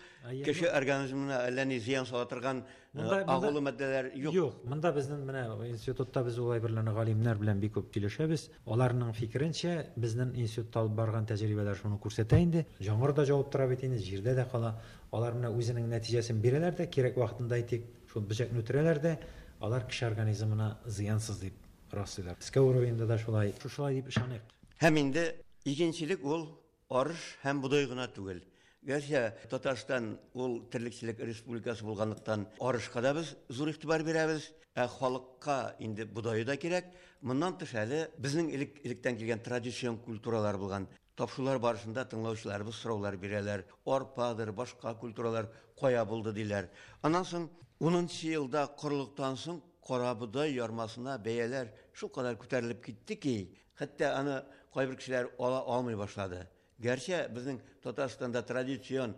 Кеше организмына әллә ни зыян сала торган агулы матдәләр юк. Юк, монда безнең менә институтта без ул әйберләрне галимнәр белән бик күп килешәбез. Аларның фикеренчә, безнең институтта алып барган тәҗрибәләр шуны күрсәтә инде. Яңгыр да җавып тора бит инде, җирдә дә кала. Алар менә үзенең нәтиҗәсен бирәләр дә, кирәк вакытында әйтик, шул бөҗәкне үтерәләр дә, алар кеше организмына зыянсыз дип раслыйлар. Мәскәү уровеньда да шулай, шушылай дип ышаныйк. Һәм инде игенчелек ул арыш һәм бодай гына түгел. Гәрчә Татарстан ул терлекчелек республикасы булганлыктан арышка да без зур игътибар бирәбез, ә халыкка инде бодае да кирәк. Моннан тыш әле безнең элек-электән килгән традицион культуралар булган. Тапшырулар барышында тыңлаучыларыбыз сораулар бирәләр. Арпадыр, башка культуралар кая булды диләр. Аннан соң 10 елда корылыктан соң карабодай ярмасына бәяләр шулкадәр күтәрелеп китте ки, хәтта аны кайбер кешеләр ала алмый башлады. Гәрчә безнең Татарстанда традицион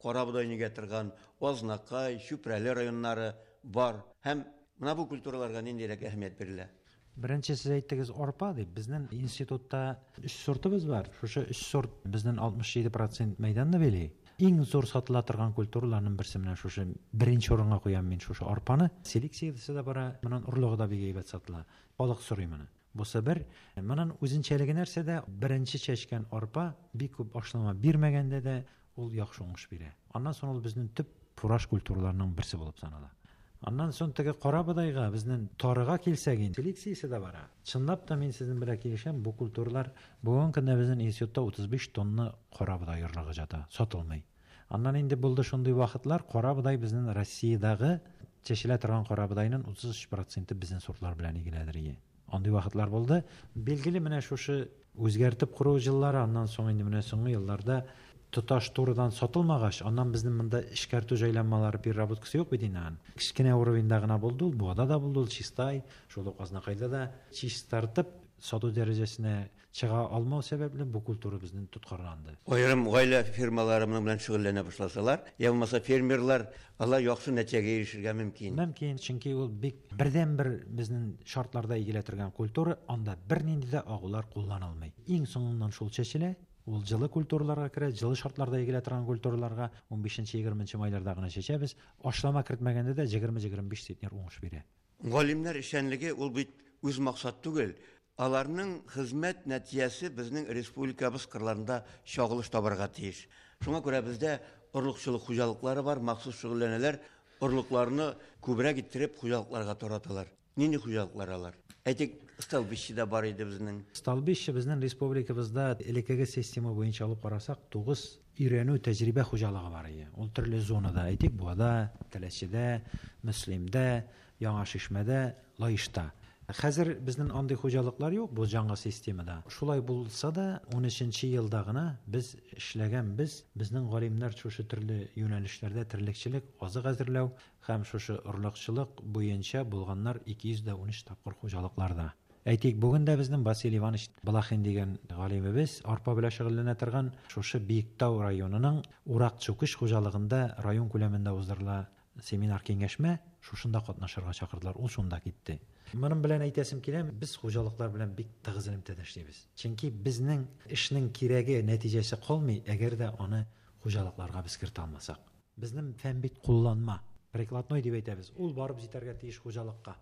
карабодай нигә торган Азнакай, Чүпрәле районнары бар. Һәм менә бу культураларга ниндирәк әһәмият бирелә? Беренче сез әйттегез арпа дип. Безнең институтта 3 сортыбыз бар. Шушы 3 сорт безнең 67% мәйданны били. Иң зур сатыла торган культураларның берсе менә шушы беренче урынга куям мин шушы арпаны. Селекциясе дә бара, монан орлыгы да бик әйбәт сатыла. Халык сорый моны. Бусы бер. Монан үзенчәлеге нәрсәдә? Беренче чәчкән арпа бик күп ашлама бирмәгәндә дә ул яхшы уңыш бирә. Аннан соң ул безнең төп фураж культураларының берсе булып санала. Аннан соң теге карабодайга, безнең тарыга килсәк инде, селекциясе дә бара. Чынлап та мин сезнең белән килешәм, бу культуралар бүгенге көндә безнең институтта 35 тонна карабодай орлыгы ята, сатылмый. Аннан инде булды шундый вакытлар, карабодай безнең Россиядәге чәчелә торган карабодайның 33% безнең сортлар белән игеләдер ие. Андый вакытлар булды. Билгеле менә шушы үзгәртеп кору еллары, аннан соң инде менә соңгы елларда тоташ турыдан сатылмагач, аннан безнең монда эшкәртү җайланмалары, переработкасы юк бит инде аның. Кечкенә уровеньда гына булды ул, Буада да булды ул, Чистай, шул ук Азнакайда да чистартып сату дәрәҗәсенә чыга алмау сәбәпле бу культура безнең тоткарланды. Аерым гаилә фирмалары моның белән шөгыльләнә башласалар, я булмаса фермерлар, алар яхшы нәтиҗәгә ирешергә мөмкин. Мөмкин, чөнки ул бик бердәнбер безнең шартларда игелә торган культура, анда бернинди дә агулар кулланылмый. Иң соңыннан шул чәчелә. Ул җылы культураларга керә, җылы шартларда игелә торган культураларга 15-20 майларда гына чәчәбез. Ашлама кертмәгәндә дә 20-25 центнер уңыш бирә. Галимнәр эшчәнлеге ул бит үз максат түгел. Аларның хезмәт нәтиҗәсе безнең республикабыз кырларында чагылыш табарга тиеш. Шуңа күрә бездә орлыкчылык хуҗалыклары бар, махсус шөгыльләнәләр, орлыкларны күбрәк иттереп хуҗалыкларга тараталар. Нинди хуҗалыклар алар? Әйтик, Столбище дә бар иде безнең. Столбище безнең республикабызда элеккеге система буенча алып карасак, 9 өйрәнү тәҗрибә хуҗалыгы бар иде. Ул төрле зонада, әйтик, Буада, Теләчедә, Мөслимдә, Яңа Шишмәдә, Лаешта. Хәзер безнең андый хуҗалыклар юк бу жаңа системада. Шулай булса да, 13 елда гына без эшләгән без, безнең галимнәр шушы төрле юнәлешләрдә терлекчелек, азык әзерләү һәм шушы орлыкчылык буенча булганнар 213 тапкыр хуҗалыкларда. Әйтик, бүген дә безнең Василий Иванович Балахин дигән галимебез арпа белән шөгыльләнә торган шушы Биектау районының Урак Чүкеш хуҗалыгында район күләмендә уздырыла семинар киңәшмә, шушында катнашырга чакырдылар, ул шунда китте. Моның белән әйтәсем килә, без хуҗалыклар белән бик тыгыз элемтәдә эшлибез. Чөнки безнең эшнең кирәге, нәтиҗәсе калмый, әгәр дә аны хуҗалыкларга без кертә алмасак. Безнең фән бит кулланма, прикладной дип әйтәбез. Ул барып җитәргә тиеш хуҗалыкка.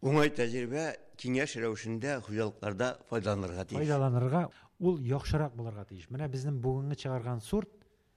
Уңай тәҗрибә киңәш рәвешендә хуҗалыкларда файдаланырга тиеш. Файдаланырга, ул яхшырак булырга тиеш. Менә безнең бүгенге чыгарган сорт,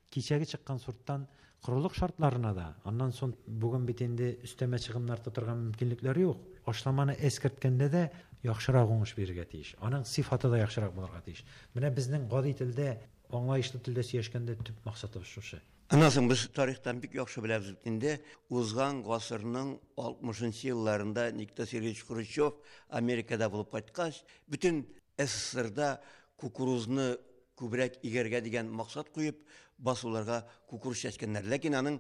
кичәге чыккан сорттан корылык шартларына да, аннан соң бүген бит инде өстәмә чыгымнар тотырга мөмкинлекләр юк. Ашламаны эскерткәндә дә яхшырак уңыш бирергә тиеш. Аның сыйфаты да яхшырак булырга тиеш. Менә безнең гади телдә, аңлаешлы телдә сөйләшкәндә төп максатыбыз шушы. Аннан соң без тарихтан бик яхшы беләбез бит инде, узган гасырның 60 елларында Никита Сергеевич Хрущев Америкада булып кайткач, бөтен СССРда кукурузны күбрәк игәргә дигән максат куеп, басуларга кукуруз чәчкәннәр. Ләкин аның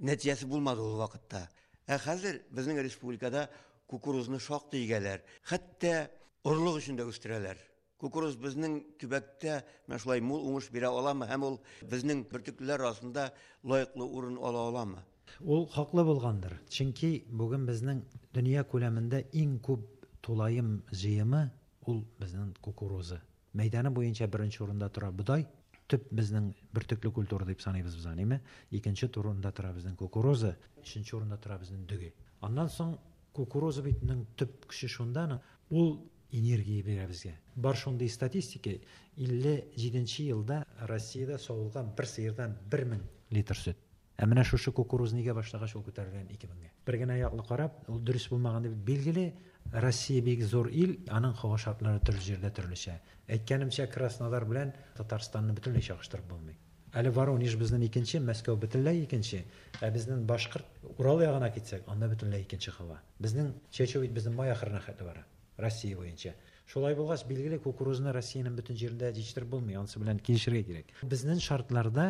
нәтиҗәсе булмады ул вакытта. Ә хәзер безнең республикада кукурузны шактый игәләр. Хәтта орлык өчен дә үстерәләр. Кукуруз безнең төбәктә менә шулай мул уңыш бирә аламы һәм ул безнең бөртеклеләр арасында лаеклы урын ала аламы? Ул хаклы булгандыр. Чөнки бүген безнең дөнья күләмендә иң күп тулаем җыемы ул безнең кукуруза. Мәйданы буенча беренче урында тора бодай, төп безнең бөртекле культура дип саныйбыз без аны, әйме? Икенче урында тора безнең кукуруза, өченче урында тора безнең дөге. Аннан соң кукуруза битнең төп көче шунда, ул энергия бирә безгә. Бар шундый статистика, 57 елда Россиядә савылган бер сыердан 1000 литр сөт. Ә менә шушы кукуруз нигә башлагач ул күтәрелгән 2000гә. Бер генә яклы карап, ул дөрес булмаган дип билгеле, Россия бик зур ил, аның һава шартлары төрле җирдә төрлечә. Әйткәнемчә, Краснодар белән Татарстанны бөтенләй чагыштырып булмый. Әле Воронеж безнең икенче, Мәскәү бөтенләй икенче, ә безнең Башкорт Урал ягына китсәк, анда бөтенләй икенче һава. Безнең чәчү бит безнең май ахырына хәтле бара, Россия буенча. Шулай булгач, билгеле, кукурузны Россиянең бөтен җирендә җитештереп булмый, анысы белән килешергә кирәк. Безнең шартларда,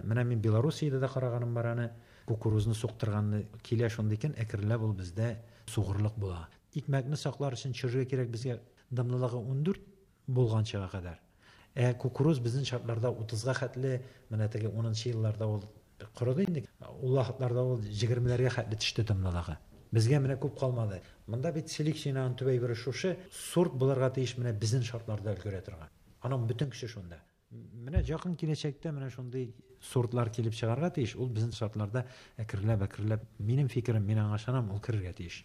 менә мин Белоруссиядә дә караганым бар аны, кукурузны суктырганны килә шундый икән, әкренләп ул бездә сугырлык була. Икмәкне саклар өчен төшерергә кирәк безгә дымлылыгы 14 булганчыга кадәр. Ә кукуруз безнең шартларда 30-га хәтле, менә теге 10 елларда ул корыды инде. Ул вакытларда ул 20-ләргә хәтле төште дымлылыгы. Безгә менә күп калмады. Монда бит селекциянең төп әйбере шушы, сорт булырга тиеш менә безнең шартларда өлгерә торган. Аның бөтен көче шунда. Менә якын киләчәктә менә шундый сортлар килеп чыгарга тиеш. Ул безнең шартларда әкренләп-әкренләп, минем фикерем, мин аңа ышанам, ул керергә тиеш.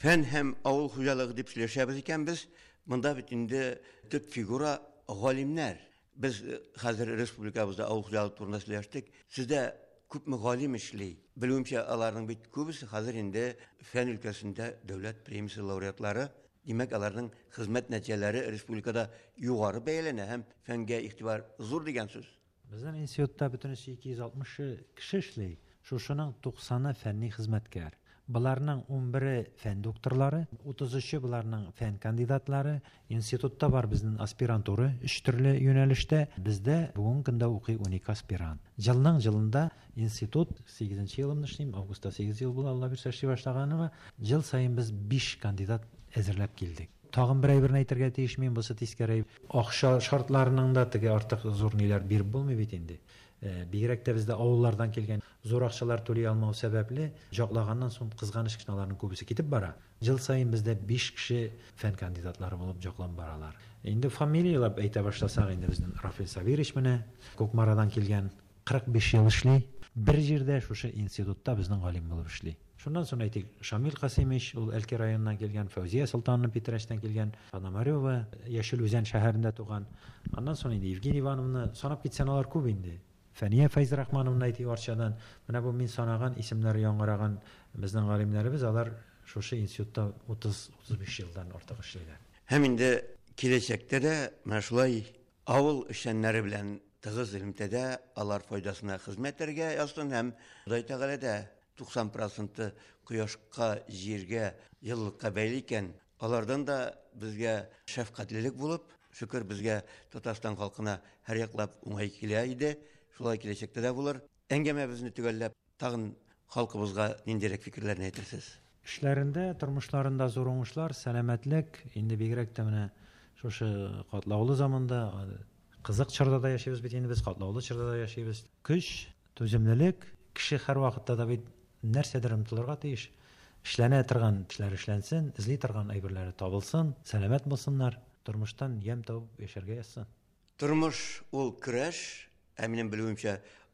Фән һәм авыл хуҗалыгы дип сөйләшәбез икән без, монда бит инде төп фигура галимнәр. Без хәзер республикабызда авыл хуҗалыгы турында сөйләштек. Сездә күпме галим эшли? Белүемчә, аларның бит күбесе хәзер инде фән өлкәсендә дәүләт премиясе лауреатлары. Димәк, аларның хезмәт нәтиҗәләре республикада югары бәяләнә һәм фәнгә игътибар зур дигән сүз. Безнең институтта бөтенесе 260 кеше эшли. Шушының 90-ы фәнни хезмәткәр. Буларның 11-е фән докторлары, 33-е буларның фән кандидатлары. Институтта бар безнең аспирантура өч төрле юнәлештә. Бездә бүгенге көндә укый 12 аспирант. Елның елында институт 8 елымны эшлим, августта 8 ел була, Алла бирсә эшли башлаганыма. Ел саен без 5 кандидат әзерләп килдек. Тагын бер әйберне әйтергә тиеш мин, бусы тискәре. Акча шартларының да теге артык зур ниләр биреп булмый бит инде. Бигрәк тә бездә авыллардан килгән зур акчалар түли алмау сәбәпле, җаклаганнан соң кызганыч кеше аларның күбесе китеп бара. Ел саен бездә 5 кеше фән кандидатлары булып җакланып баралар. Инде фамилияләп әйтә башласак, инде безнең Рафил Сабирович менә Кукмарадан килгән, 45 ел эшли. Бер җирдә шушы институтта безнең галим булып эшли. Шуннан соң әйтик, Шамил Касимович, ул Әлки районыннан килгән, Фәүзия Солтановна Питрәчтән килгән, Пономарева Яшел Үзән шәһәрендә туган. Аннан соң инде Евгений Ивановна, санап китсәң алар күп инде. Фәния Фәйзрахмановна әйтик Арчадан. Менә бу мин санаган исемнәр яңгыраган безнең галимнәребез, алар шушы институтта 30-35 елдан артык эшлиләр. Һәм инде киләчәктә дә менә шулай авыл эшчәннәре белән тыгыз элемтәдә алар файдасына хезмәт итәргә язсын һәм Ходай Тәгалә дә 90% кояшка, җиргә, еллыкка бәйле икән, алардан да безгә шәфкатьлелек булып, шөкер безгә Татарстан халкына һәр яклап уңай килә иде, шулай киләчәктә дә булыр. Әңгәмәбезне төгәлләп, тагын халкыбызга ниндирәк фикерләрне әйтерсез? Эшләрендә, тормышларында зур уңышлар, сәламәтлек, инде бигрәк тә менә шушы катлаулы заманда, кызык чорда да яшибез бит инде без, катлаулы чорда да яшибез. Көч, түземлелек, кеше һәр вакытта да бит нәрсәдер омтылырга тиеш. Эшләнә торган эшләр эшләнсен, эзли торган әйберләре табылсын, сәламәт булсыннар, тормыштан ямь табып яшәргә язсын. Тормыш ул көрәш, ә минем белүемчә,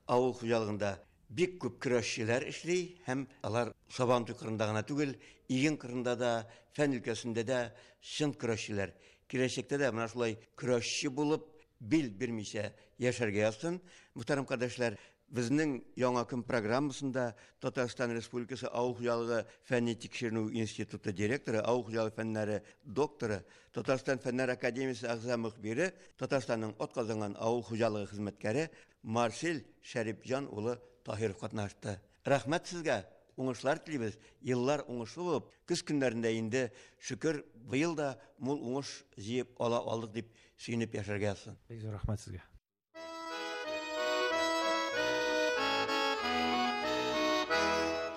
авыл хуҗалыгында бик күп көрәшчеләр эшли һәм алар Сабантуй кырында гына түгел, иген кырында да, фән өлкәсендә дә чын көрәшчеләр. Киләчәктә дә менә шулай көрәшче булып, бил бирмичә яшәргә язсын. Мөхтәрәм кардәшләр, безнең Яңа көн программасында Татарстан Республикасы Авыл хуҗалыгы фәнни тикшеренү институты директоры, авыл хуҗалыгы фәннәре докторы, Татарстан Фәннәр академиясе әгъза мөхбире, Татарстанның атказанган авыл хуҗалыгы хезмәткәре Марсель Шәрипҗан улы Таһиров катнашты. Рәхмәт сезгә, уңышлар телибез. Еллар уңышлы булып, көз көннәрендә инде шөкер быел да мул уңыш җыеп ала алдык дип сөенеп яшәргә язсын. Бик зур рәхмәт сезгә.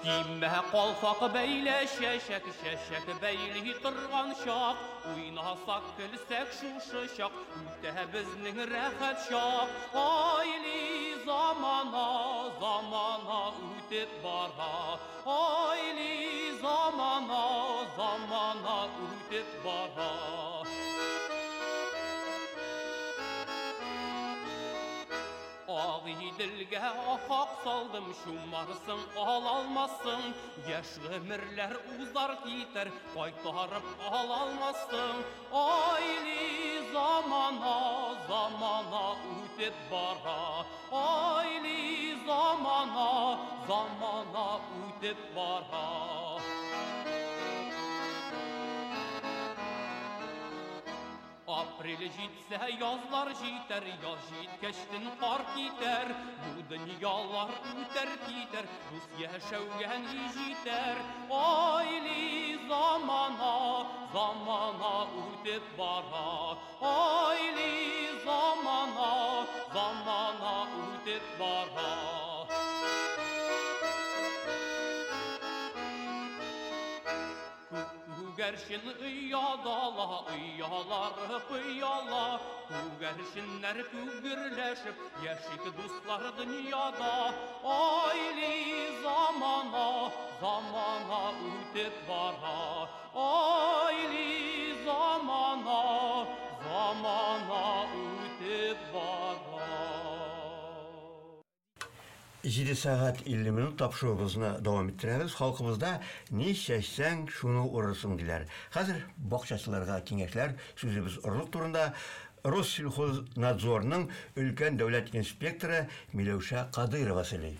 Кимә калфак бәйлә чәчәк, чәчәк бәйли торган чак, уйнасак, көлсәк шушы чак, үтә безнең рәхәт чак. Айли замана, замана үтеп бара. Айли замана, замана үтеп бара. Агыйделгә ахак салдым, чумарсың, ала алмассың. Яшь гомерләр узар китәр, кайтарып ала алмассың. Айли замана, замана үтеп бара. Айли замана, замана үтеп бара. Апрель җитсә, язлар җитәр, яз җиткәчтен кар китәр. Бу дөньялар үтәр китәр, дус яшәүгә ни җитәр. Айли замана, замана үтеп бара. Айли замана, замана үтеп бара. Күгәрчен ояда оялар пыяла, Күгәрченнәр күгерләшеп яшик дуслар дөньяда. Айли замана, замана үтеп бара. Айли замана, замана үтеп бара. 7 сәгать 50 минут тапшыруыбызны дәвам иттерәбез. Халкыбызда ни чәчсәң, шуны урырсың диләр. Хәзер бакчачыларга киңәшләр, сүзебез орлык турында. Россельхознадзорның өлкән дәүләт инспекторы Миләүшә Кадыйрова сөйли.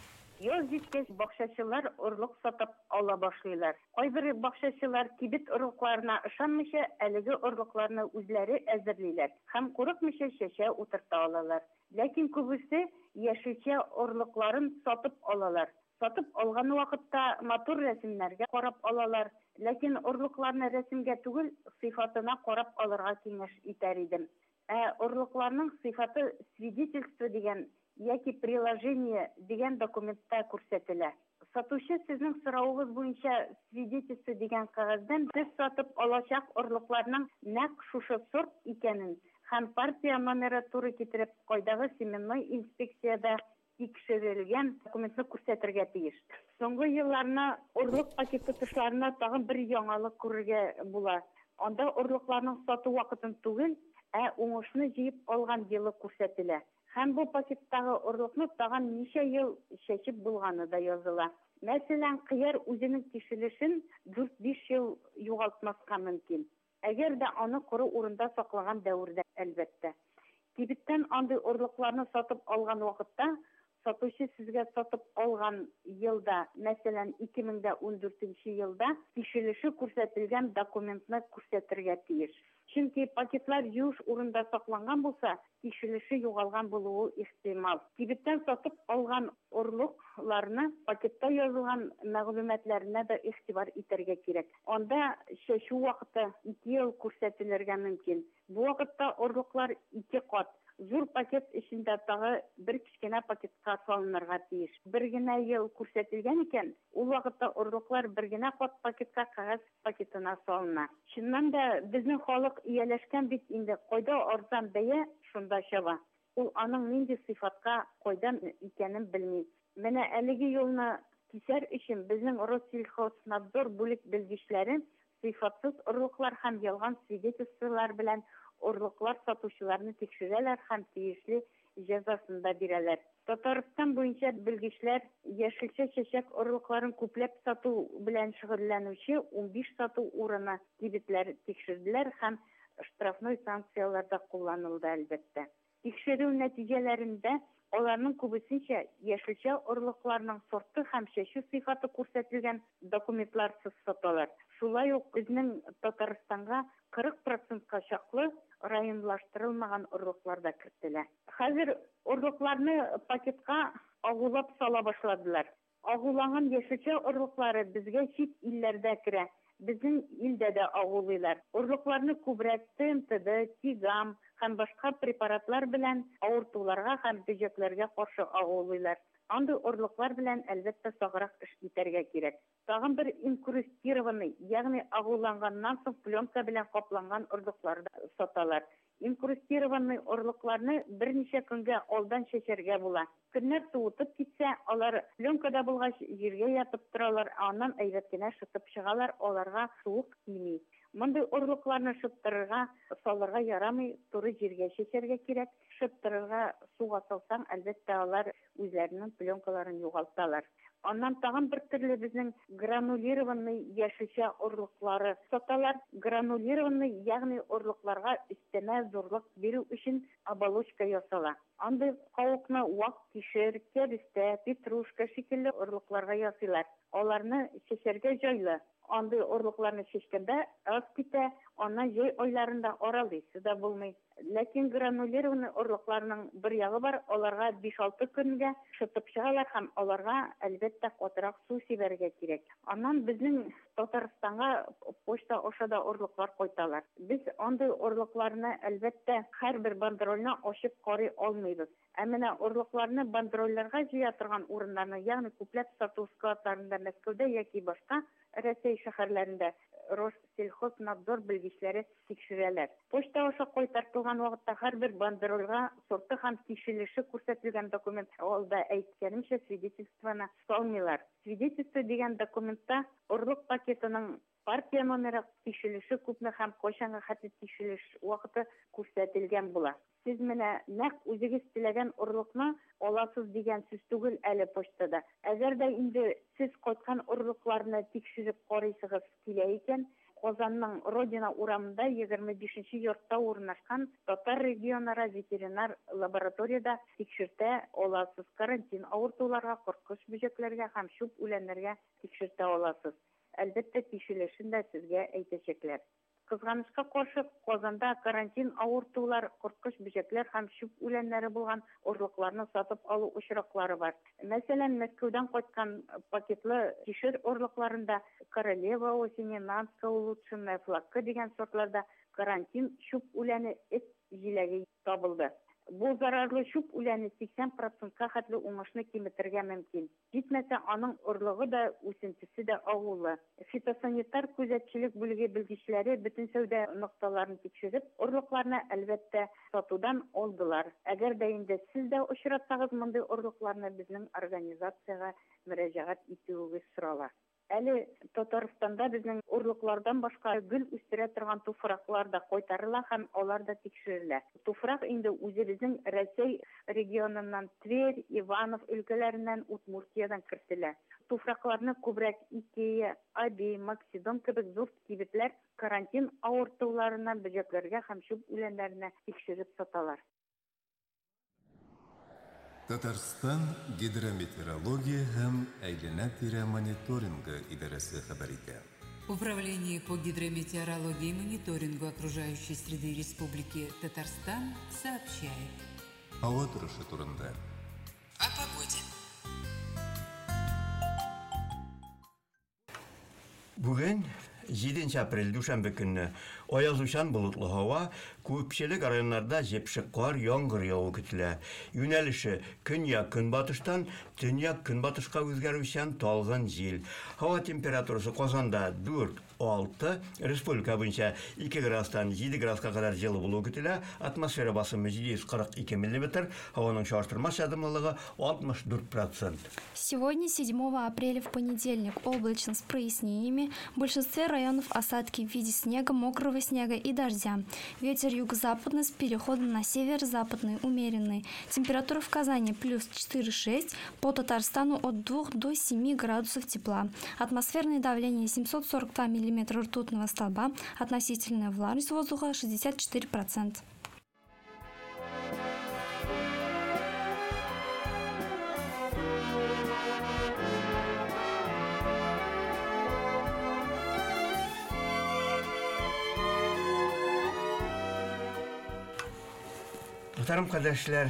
Яз җиткәч, бакчачылар орлык сатып ала башлыйлар. Кайбер бакчачылар кибет орлыкларына ышанмыйча, әлеге орлыкларны үзләре әзерлиләр һәм курыкмыйча чәчә утырта алалар. Ләкин күбесе яшелчә орлыкларын сатып алалар. Сатып алган вакытта матур рәсемнәргә карап алалар. Ләкин орлыкларны рәсемгә түгел, сыйфатына карап алырга киңәш итәр идем. Ә орлыкларның сыйфаты свидетельство дигән яки приложение дигән документта күрсәтелә. Сатучы сезнең соравыгыз буенча свидетельство дигән кәгазьдән сез сатып алачак орлыкларның нәкъ шушы сорт икәнен һәм партия номеры туры китереп, кайдагы семенной инспекциядә тикшерелгән документны күрсәтергә тиеш. Соңгы елларны орлык пакеты тышларына тагын бер яңалык күрергә була. Анда орлыкларның сату вакытын түгел, ә уңышны җыеп алган елы күрсәтелә. Һәм бу пакеттагы орлыкны тагын ничә ел чәчеп булганы да языла. Мәсәлән, кыяр үзенең тишелешен 4-5 ел югалтмаска мөмкин. Әгәр дә аны коры урында саклаган дәвердә, әлбәттә. Кибеттән андый орлыкларны сатып алган вакытта, сатучы сезгә сатып алган елда, мәсәлән, 2014 елда тишелеше күрсәтелгән документны күрсәтергә тиеш. Чөнки пакетлар юеш урында сакланган булса, тишелеше югалган булуы ихтимал. Кибеттән сатып алган орлыкларны пакетта язылган мәгълүматларына да игътибар итәргә кирәк. Анда чәчү вакыты 2 ел күрсәтелергә мөмкин. Бу вакытта орлыклар 2 кат, зур пакет эчендә тагы бер кечкенә пакетка салынырга тиеш. Бер генә ел күрсәтелгән икән, ул вакытта орлыклар бер генә кат пакетка кәгазь пакетына салына. Чыннан да безнең халык ияләшкән бит инде, кайда арзан бәя, шунда чаба. Ул аның нинди сыйфатка, кайдан икәнен белми. Менә әлеге юлны кисәр өчен безнең Россельхознадзор бүлек белгечләре сыйфатсыз орлыклар һәм ялган свидетельстволар белән орлыклар сатучыларны тикшерәләр һәм тиешле җәзасын да бирәләр. Татарстан буенча белгечләр яшелчә чәчәк орлыкларын күпләп сату белән шөгыльләнүче 15 сату урыны кибетләр тикшерделәр һәм штрафной санкцияләр дә кулланылды, әлбәттә. Тикшерү нәтиҗәләрендә аларның күбесенчә яшелчә орлыкларның сорты һәм чәчү сыйфаты күрсәтелгән документларсыз саталар. Шулай ук безнең Татарстанга 40 процентка чаклы районлаштырылмаган орлыклар да кертелә. Хәзер орлыкларны пакетка агулап сала башладылар. Агуланган яшелчә орлыклары безгә чит илләрдә керә. Безнең илдә дә агулыйлар. Орлыкларны күбрәк ТМТД, Тигам һәм башка препаратлар белән авыртуларга һәм бөҗәкләргә каршы агулыйлар. Андый орлыклар белән, әлбәттә, саграк эш итәргә кирәк. Тагын бер инкрустированный, ягъни агуланганнан соң пленка белән капланган орлыклар да саталар. Инкрустированный орлыкларны берничә көнгә алдан чәчәргә була. Көннәр суытып китсә, алар пленкада булгач, җиргә ятып торалар, ә аннан әйбәт кенә шытып чыгалар, аларга суык тими. Мондый орлыкларны шыттырырга, салырга ярамый, туры җиргә чәчәргә кирәк. Шыттырырга суга салсаң, әлбәттә, алар үзләренең пленкаларын югалталар. Аннан тагын бер төрле безнең гранулированный яшелчә орлыклары саталар. Гранулированный, ягъни орлыкларга өстәмә зурлык бирү өчен оболочка ясала. Андый кавыкны вак кишер, кәбестә, петрушка шикелле орлыкларга ясыйлар. Аларны чәчәргә җайлы. Андый орлыкларны чәчкәндә аз китә, аннан җәй айларында аралыйсы да булмый. Ләкин гранулированный орлыкларның бер ягы бар, аларга 5-6 көнгә шытып чыгалар һәм аларга, әлбәттә, катырак су сибәргә кирәк. Аннан безнең Татарстанга почта аша да орлыклар кайталар. Без андый орлыкларны, әлбәттә, һәрбер бандерольне ачып карый алмыйбыз. Ә менә орлыкларны бандерольләргә җыя торган урыннарны, ягъни күпләп сату складларында Мәскәүдә яки башка Рәсәй шәһәрләрендә Россельхознадзор белгечләре тикшерәләр. Почта аша кайтартылган вакытта һәрбер бандерольгә сорты һәм тишелеше күрсәтелгән документ, алда әйткәнемчә, свидетельствоны салмыйлар. Свидетельство дигән документта орлык пакетының партия номеры, тишелеше күпме һәм кайчанга хәтле тишелеш вакыты күрсәтелгән була. Сез менә нәкъ үзегез теләгән орлыкны аласыз дигән сүз түгел әле почтада. Әгәр дә инде сез кайткан орлыкларны тикшереп карыйсыгыз килә икән, Казанның Родина урамында 25 нче йортта урнашкан Татар регионара ветеринар лабораториядә тикшертә аласыз, карантин авыртуларга, корткыч бөҗәкләргә һәм чүп үләннәргә тикшертә аласыз. Әлбәттә, тишелешен дә сезгә әйтәчәкләр. Кызганычка каршы, Казанда карантин авыртулар, корткыч бөҗәкләр һәм чүп үләннәре булган орлыкларны сатып алу очраклары бар. Мәсәлән, Мәскәүдән кайткан пакетлы кишер орлыкларында Королева осени, Нанская улучшенная, Флакка дигән сортларда карантин чүп үләне, эт җиләге табылды. Бу зарарлы чүп үләне 80 процентка хәтле уңышны киметергә мөмкин. Җитмәсә, аның орлыгы да, үсентесе дә агулы. Фитосанитар күзәтчелек бүлеге белгечләре бөтен сәүдә нокталарын тикшереп, орлыкларны, әлбәттә, сатудан алдылар. Әгәр дә инде сез дә очратсагыз мондый орлыкларны, безнең организациягә мөрәҗәгать итүегез сорала. Әле Татарстанда безнең орлыклардан башка гөл үстерә торган туфраклар да кайтарыла һәм алар да тикшерелә. Туфрак инде үзебезнең Рәсәй регионыннан, Тверь, Иванов өлкәләреннән, Удмуртиядән кертелә. Туфракларны күбрәк Икея, Аби, Максидом кебек зур кибетләр карантин авыртуларына, бөҗәкләргә һәм чүп үләннәренә тикшереп саталар. Татарстан Гидрометеорология һәм әйләнә-тирә мониторингы идарәсе хәбәр итә. Управление по гидрометеорологии и мониторингу окружающей среды Республики Татарстан сообщает. Һава торышы турында. О погоде. Бүген 7 апрель дүшәмбе көнне аязучан болытлы һава, күпчелек районнарда җепшек кар, яңгыр яву көтелә. Юнәлеше көньяк-көнбатыштан төньяк-көнбатышка үзгәрүчән талгын җил. Һава температурасы Казанда 4, 6, республика буенча 2 градустан 7 градуска кадәр җылы булуы көтелә. Атмосфера басымы 742 миллиметр, һаваның чагыштырмача дымлылыгы 64%. Сегодня, 7 апреля, в понедельник, облачно с прояснениями. В большинстве районов осадки в виде снега, мокрого снега и дождя. Ветер юго-западный с переходом на северо-западный, умеренный. Температура в Казани плюс 4,6, по Татарстану от 2 до 7 градусов тепла. Атмосферное давление 742 миллиметра ртутного столба, относительная влажность воздуха 64%. Мөхтәрәм кардәшләр,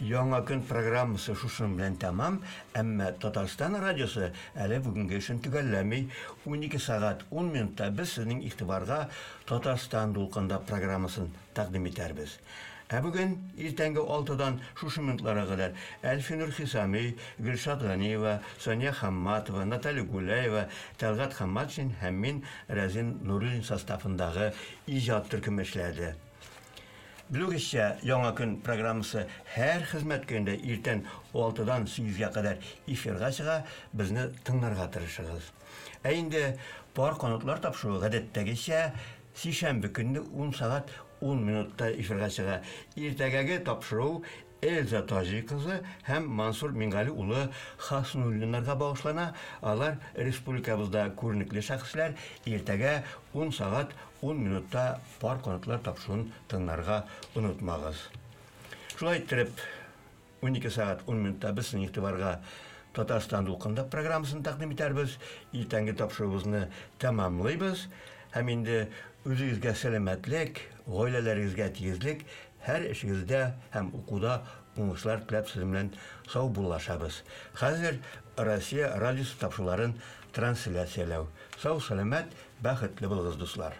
Яңа көн программасы шушының белән тәмам, әмма Татарстан радиосы әле бүгенге эшен төгәлләми. 12 сәгать 10 минутта без сезнең игътибарга Татарстан дулкында программасын тәкъдим итәрбез. Ә бүген иртәнге 6-дан шушы минутларга кадәр Әлфинур Хисами, Гөлшат Ганиева, Сания Хамматова, Наталья Гуляева, Тәлгать Хамматшин һәм мин Рәзин Нуруллин составындагы иҗат төркеме эшләде. Белүегезчә, Яңа көн программасы һәр хезмәт көнендә иртән 6-дан 8-гә кадәр эфирга чыга, безне тыңларга тырышыгыз. Ә инде Пар канатлар тапшыруы гадәттәгечә сишәмбе көнне 10 сәгать 10 минутта эфирга чыга. Иртәгәге тапшыру Эльза Таҗи кызы һәм Мансур Мингали улы Хаснуллиннарга багышлана. Алар республикабызда күренекле шәхесләр. Иртәгә 10 сәгать 10 минутта пар канатлар тапшыруын тыңларга онытмагыз. Шулай иттереп, 12 сәгать 10 минутта без сезнең игътибарга Татарстан дулкында программасын тәкъдим итәрбез. Иртәнге тапшыруыбызны тәмамлыйбыз. Һәм инде үзегезгә сәламәтлек, гаиләләрегезгә тигезлек, һәр эшегездә һәм укуда уңышлар теләп сезнең белән саубуллашабыз. Хәзер Россия радиосы тапшыруларын трансляцияләү. Сау, сәламәт, бәхетле булыгыз, дуслар.